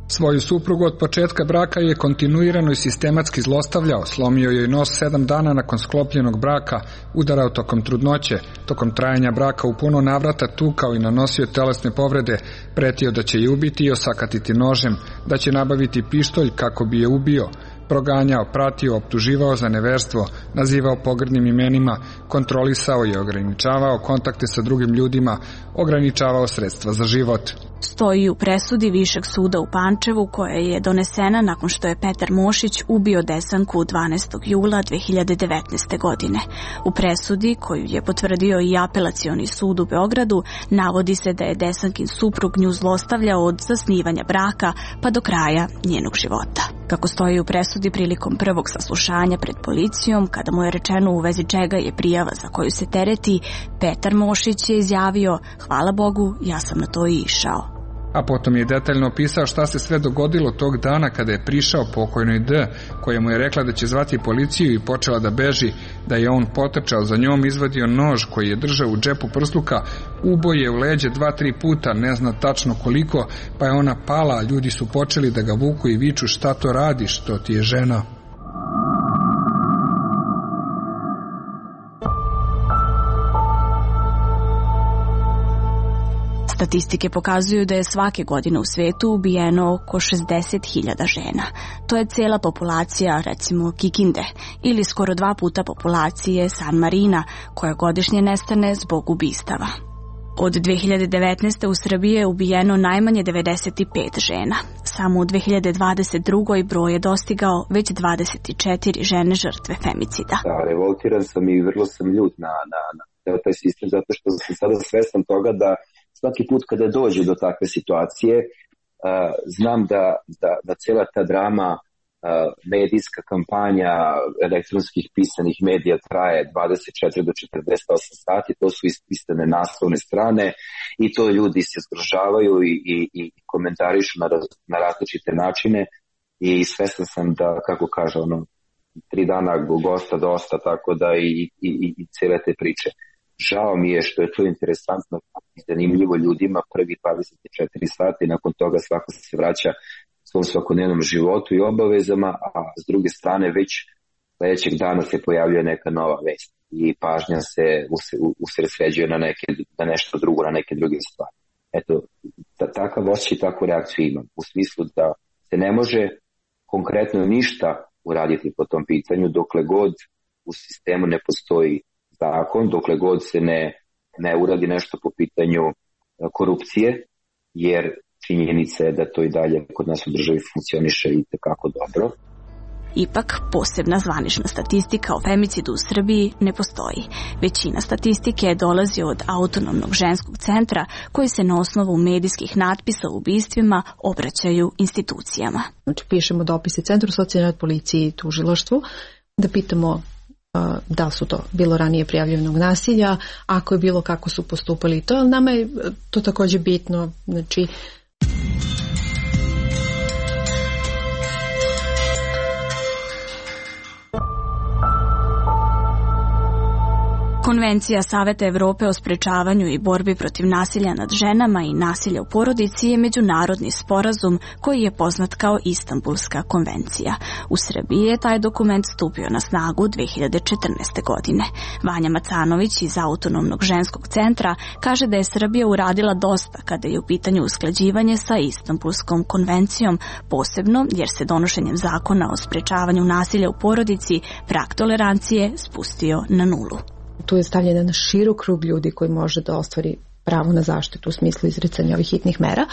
Svoju suprugu od početka braka je kontinuirano i sistematski zlostavljao, slomio joj nos sedam dana nakon sklopljenog braka, udarao tokom trudnoće, tokom trajanja braka u puno navrata tukao i nanosio telesne povrede, pretio da će je ubiti i osakatiti nožem, da će nabaviti pištolj kako bi je ubio, proganjao, pratio, optuživao za neverstvo, nazivao pogrdnim imenima, kontrolisao i ograničavao kontakte sa drugim ljudima, ograničavao sredstva za život. Stoji u presudi Višeg suda u Pančevu koja je donesena nakon što je Petar Mošić ubio Desanku dvanaestog jula dve hiljade devetnaeste. godine. U presudi, koju je potvrdio i Apelacioni sud u Beogradu, navodi se da je Desankin suprug nju zlostavljao od zasnivanja braka pa do kraja njenog života. Kako stoji u presudi prilikom prvog saslušanja pred policijom, kada mu je rečeno u vezi čega je prijava za koju se tereti, Petar Mošić je izjavio: "Hvala Bogu, ja sam na to i išao." A potom je detaljno opisao šta se sve dogodilo tog dana kada je prišao pokojnoj D, koja mu je rekla da će zvati policiju i počela da beži, da je on potrčao za njom, izvadio nož koji je držao u džepu prsluka, ubo je u leđe dva, tri puta, ne zna tačno koliko, pa je ona pala, a ljudi su počeli da ga vuku i viču: "Šta to radiš, to ti je žena." Statistike pokazuju da je svake godine u svetu ubijeno oko šezdeset hiljada žena. To je cela populacija, recimo, Kikinde, ili skoro dva puta populacije San Marina, koja godišnje nestane zbog ubistava. Od dve hiljade devetnaeste. u Srbiji je ubijeno najmanje devedeset pet žena. Samo u dve hiljade dvadeset drugoj. broj je dostigao već dvadeset četiri žene žrtve femicida. Da, revoltiran sam i vrlo sam ljut na, na, na taj sistem, zato što sam sada svestan toga da svaki put kada dođe do takve situacije, uh, znam da, da, da cijela ta drama, uh, medijska kampanja elektronskih pisanih medija traje dvadeset četiri do četrdeset osam sati, to su ispisane naslovne strane i to ljudi se zgrožavaju i, i, i komentarišu na, na različite načine i svestan sam da, kako kaže ono, tri dana gosta dosta, tako da i, i, i cijele te priče. Žao mi je što je to interesantno i zanimljivo ljudima prvi dvadeset četiri sata i nakon toga svako se vraća svom svakodnevnom životu i obavezama, a s druge strane već sledećeg dana se pojavljuje neka nova vest i pažnja se usredsređuje na, neke, na nešto drugo, na neke druge stvari. Eto, takav osjećaj i takvu reakciju imam, u smislu da se ne može konkretno ništa uraditi po tom pitanju dokle god u sistemu ne postoji zakon, dokle god se ne, ne uradi nešto po pitanju korupcije, jer činjenica je da to i dalje kod nas u državi funkcioniše i tekako dobro. Ipak, posebna zvanična statistika o femicidu u Srbiji ne postoji. Većina statistike dolazi od Autonomnog ženskog centra, koji se na osnovu medijskih natpisa o ubistvima obraćaju institucijama. Znači, pišemo dopise Centru socijalne od policiji i tužilaštvu, da pitamo da li su to bilo ranije prijavljenog nasilja, ako je bilo, kako su postupali to, ali nama je to također bitno, znači Konvencija Saveta Evrope o sprečavanju i borbi protiv nasilja nad ženama i nasilja u porodici je međunarodni sporazum koji je poznat kao Istanbulska konvencija. U Srbiji je taj dokument stupio na snagu dve hiljade četrnaeste. godine. Vanja Macanović iz Autonomnog ženskog centra kaže da je Srbija uradila dosta kada je u pitanju usklađivanje sa Istanbulskom konvencijom, posebno jer se donošenjem zakona o sprečavanju nasilja u porodici prag tolerancije spustio na nulu. Tu je stavljen na širok krug ljudi koji može da ostvari pravo na zaštitu u smislu izricanja ovih hitnih mera,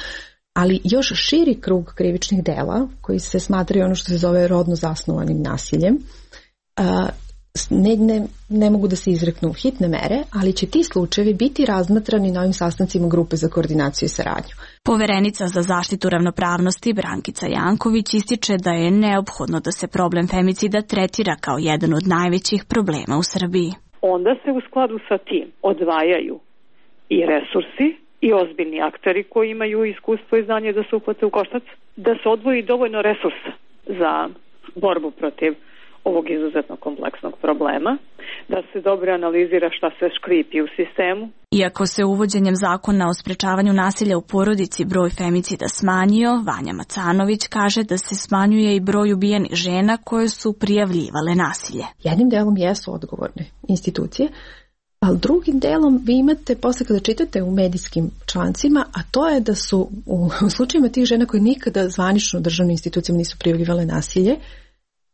ali još širi krug krivičnih dela koji se smatraju ono što se zove rodno zasnovanim nasiljem. Ne, ne, ne mogu da se izreknu hitne mere, ali će ti slučajevi biti razmatrani na ovim sastancima grupe za koordinaciju i saradnju. Poverenica za zaštitu ravnopravnosti Brankica Janković ističe da je neophodno da se problem femicida tretira kao jedan od najvećih problema u Srbiji. Onda se u skladu sa tim odvajaju i resursi i ozbiljni akteri koji imaju iskustvo i znanje da se uhvate u koštac, da se odvoji dovoljno resursa za borbu protiv ovog izuzetno kompleksnog problema, da se dobro analizira šta se škripi u sistemu. Iako se uvođenjem zakona o sprečavanju nasilja u porodici broj femicida smanjio, Vanja Macanović kaže da se smanjuje i broj ubijenih žena koje su prijavljivale nasilje. Jednim delom jesu odgovorne institucije, ali drugim delom vi imate, posle kada čitate u medijskim člancima, a to je da su u, u slučajima tih žena koje nikada zvanično državnim institucijama nisu prijavljivale nasilje,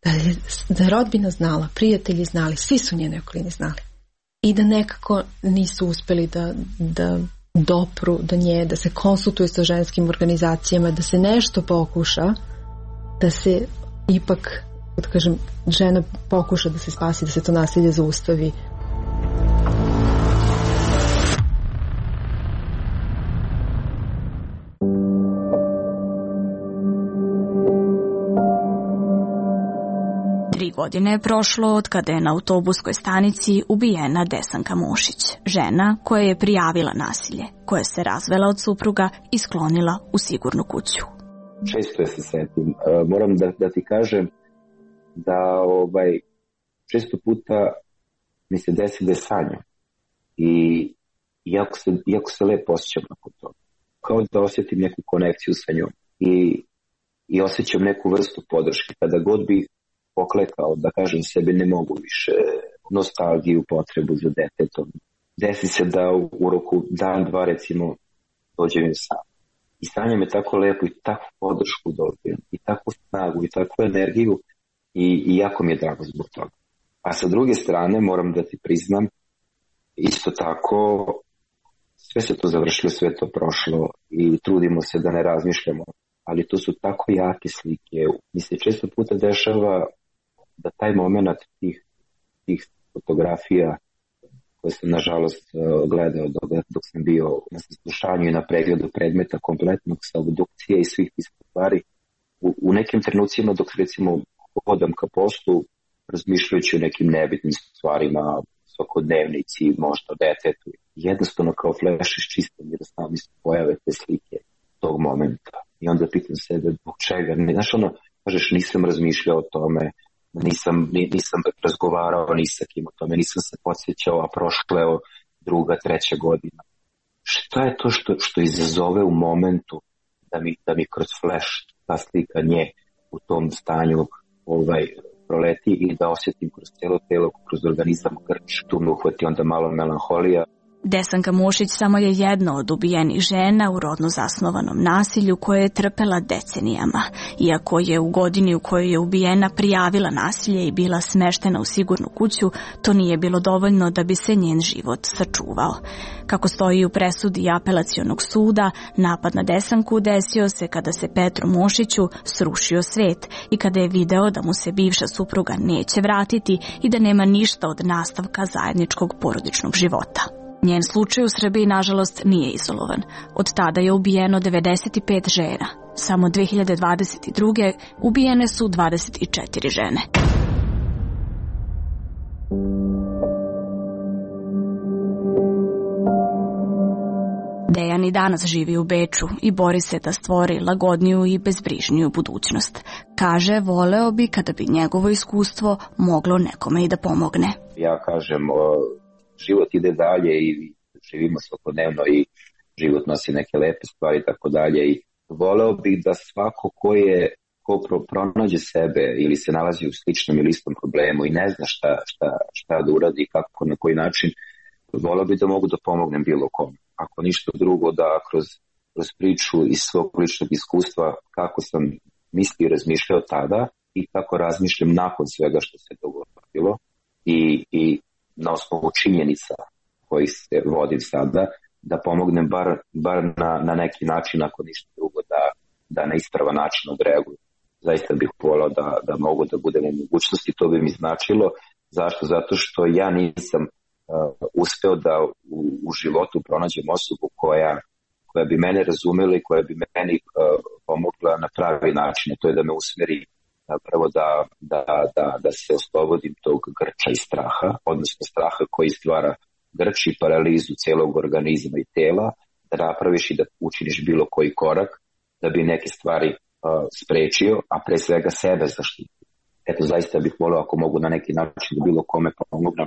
da je, da je rodbina znala, prijatelji znali, svi su njene okolini znali. I da nekako nisu uspeli da, da dopru do nje, da se konsultuju sa ženskim organizacijama, da se nešto pokuša, da se ipak, da kažem, žena pokuša da se spasi, da se to nasilje zaustavi. Tri godine je prošlo od kada je na autobuskoj stanici ubijena Desanka Mušić, žena koja je prijavila nasilje, koja se razvela od supruga i sklonila u sigurnu kuću. Često se setim. Moram da, da ti kažem da ovaj, često puta mi se desi da je sanjam. I jako se, jako se lepo osjećam nakon toga. Kao da osjetim neku konekciju sa njom. I, i osjećam neku vrstu podrške. Kada god bih poklekao, da kažem sebi ne mogu više, nostalgiju, potrebu za detetom. Desi se da u roku dan, dva recimo dođem sam. I stanje me tako lepo i takvu podršku dobijem, i takvu snagu, i takvu energiju i, i jako mi je drago zbog toga. A sa druge strane moram da ti priznam, isto tako sve se to završilo, sve to prošlo i trudimo se da ne razmišljamo, ali to su tako jake slike. Mi se često puta dešava da taj moment tih, tih fotografija koje sam nažalost gledao dok, dok sam bio na saslušanju i na pregledu predmeta kompletnog sa obdukcije i svih tih stvari, u, u nekim trenucima dok recimo hodam ka poslu razmišljajući o nekim nebitnim stvarima, svakodnevnici, možda o detetu, jednostavno kao fleš iščistam jer sami se pojave te slike tog momenta. I onda pitam sebe zbog čega. Znaš ono, kažeš nisam razmišljao o tome, Nisam, nisam razgovarao ni sa kim o tome, nisam se podsjećao, a prošla je druga, treća godina. Šta je to što, što izazove u momentu da mi, da mi kroz flash ta slika nje u tom stanju ovaj, proleti i da osjetim kroz cijelo telo, kroz organizam grč, tu me uhvati onda malo melanholija. Desanka Mušić samo je jedna od ubijenih žena u rodno zasnovanom nasilju koje je trpela decenijama. Iako je u godini u kojoj je ubijena prijavila nasilje i bila smeštena u sigurnu kuću, to nije bilo dovoljno da bi se njen život sačuvao. Kako stoji u presudi Apelacionog suda, napad na Desanku desio se kada se Petru Mušiću srušio svet i kada je video da mu se bivša supruga neće vratiti i da nema ništa od nastavka zajedničkog porodičnog života. Njen slučaj u Srbiji, nažalost, nije izolovan. Od tada je ubijeno devedeset pet žena. Samo dve hiljade dvadeset druge ubijene su dvadeset četiri žene. Dejan i danas živi u Beču i bori se da stvori lagodniju i bezbrižniju budućnost. Kaže, voleo bi kada bi njegovo iskustvo moglo nekome i da pomogne. Ja kažem, život ide dalje i živimo svakodnevno i život nosi neke lepe stvari i tako dalje. I voleo bih da svako ko je ko pronađe sebe ili se nalazi u sličnom ili istom problemu i ne zna šta, šta, šta da uradi i kako, na koji način, voleo bih da mogu da pomognem bilo kom. Ako ništa drugo, da kroz, kroz priču iz svog ličnog iskustva kako sam mislio i razmišljao tada i kako razmišljam nakon svega što se dogodilo i, i na osnovu činjenica koji se vodim sada, da pomognem bar, bar na, na neki način, ako ništa drugo, da, da na ispravan način odreaguju. Zaista bih volao da, da mogu da budem u mogućnosti, to bi mi značilo. Zašto? Zato što ja nisam uh, uspeo da u, u životu pronađem osobu koja, koja bi mene razumela i koja bi meni uh, pomogla na pravi način. To je da me usmeri prvo da, da, da, da se oslobodim tog grča i straha, odnosno straha koji stvara grč i paralizu cijelog organizma i tela, da napraviš i da učiniš bilo koji korak da bi neke stvari uh, sprečio, a pre svega sebe zaštitio. Eto, zaista bih volio ako mogu na neki način da bilo kome pomognem.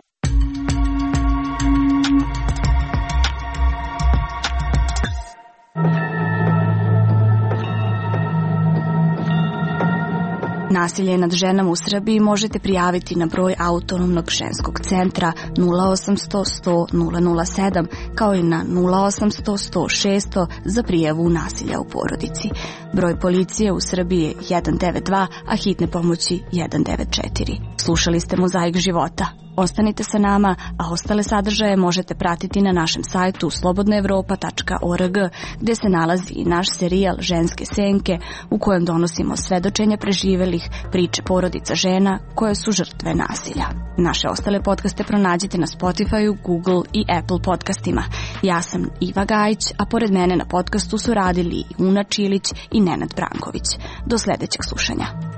Nasilje nad ženama u Srbiji možete prijaviti na broj Autonomnog ženskog centra nula osamsto sto nula nula sedam kao i na nula osamsto sto šesto za prijavu nasilja u porodici. Broj policije u Srbiji je jedan devet dva, a hitne pomoći jedan devet četiri. Slušali ste Mozaik života. Ostanite sa nama, a ostale sadržaje možete pratiti na našem sajtu slobodna evropa tačka org, gde se nalazi i naš serijal Ženske senke, u kojem donosimo svedočenja preživelih, priče porodica žena koje su žrtve nasilja. Naše ostale podcaste pronađite na Spotify, Google i Apple podcastima. Ja sam Iva Gajić, a pored mene na podcastu su radili i Una Čilić i Nenad Branković. Do sledećeg slušanja.